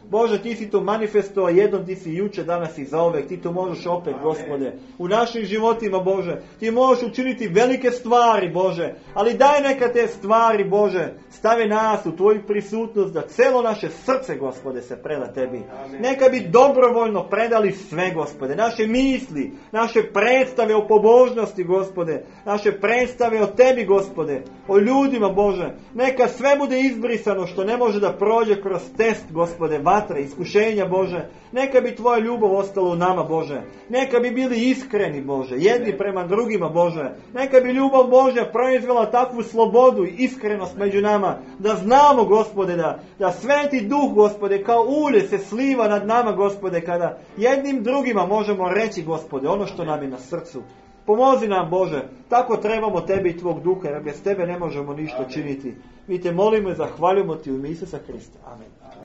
Bože, ti si to manifestovao jednom, ti si juče, danas i zauvek, ti to možeš opet, Gospode. U našim životima, Bože, ti možeš učiniti velike stvari, Bože, ali daj neka te stvari, Bože, stavi nas u tvoju prisutnost, da celo naše srce, Gospode, se preda tebi. Neka bi dobrovoljno predali sve, Gospode, naše misli, naše predstave o pobožnosti, Gospode, naše predstave o tebi, Gospode, o ljudima, Bože, neka sve bude izbrisano što ne može da prođe kroz test, Gospode, vatre, iskušenja, Bože. Neka bi tvoja ljubav ostala u nama, Bože. Neka bi bili iskreni, Bože, jedni prema drugima, Bože. Neka bi ljubav Božja proizvela takvu slobodu i iskrenost među nama, da znamo, Gospode, da, da Sveti Duh, Gospode, kao ulje se sliva nad nama, Gospode, kada jednim drugima možemo reći, Gospode, ono što nam je na srcu. Pomozi nam, Bože, tako trebamo Tebe i Tvog Duha, jer bez Tebe ne možemo ništa činiti. Mi Te molimo i zahvaljujemo Ti u ime Isusa Hrista. Amen.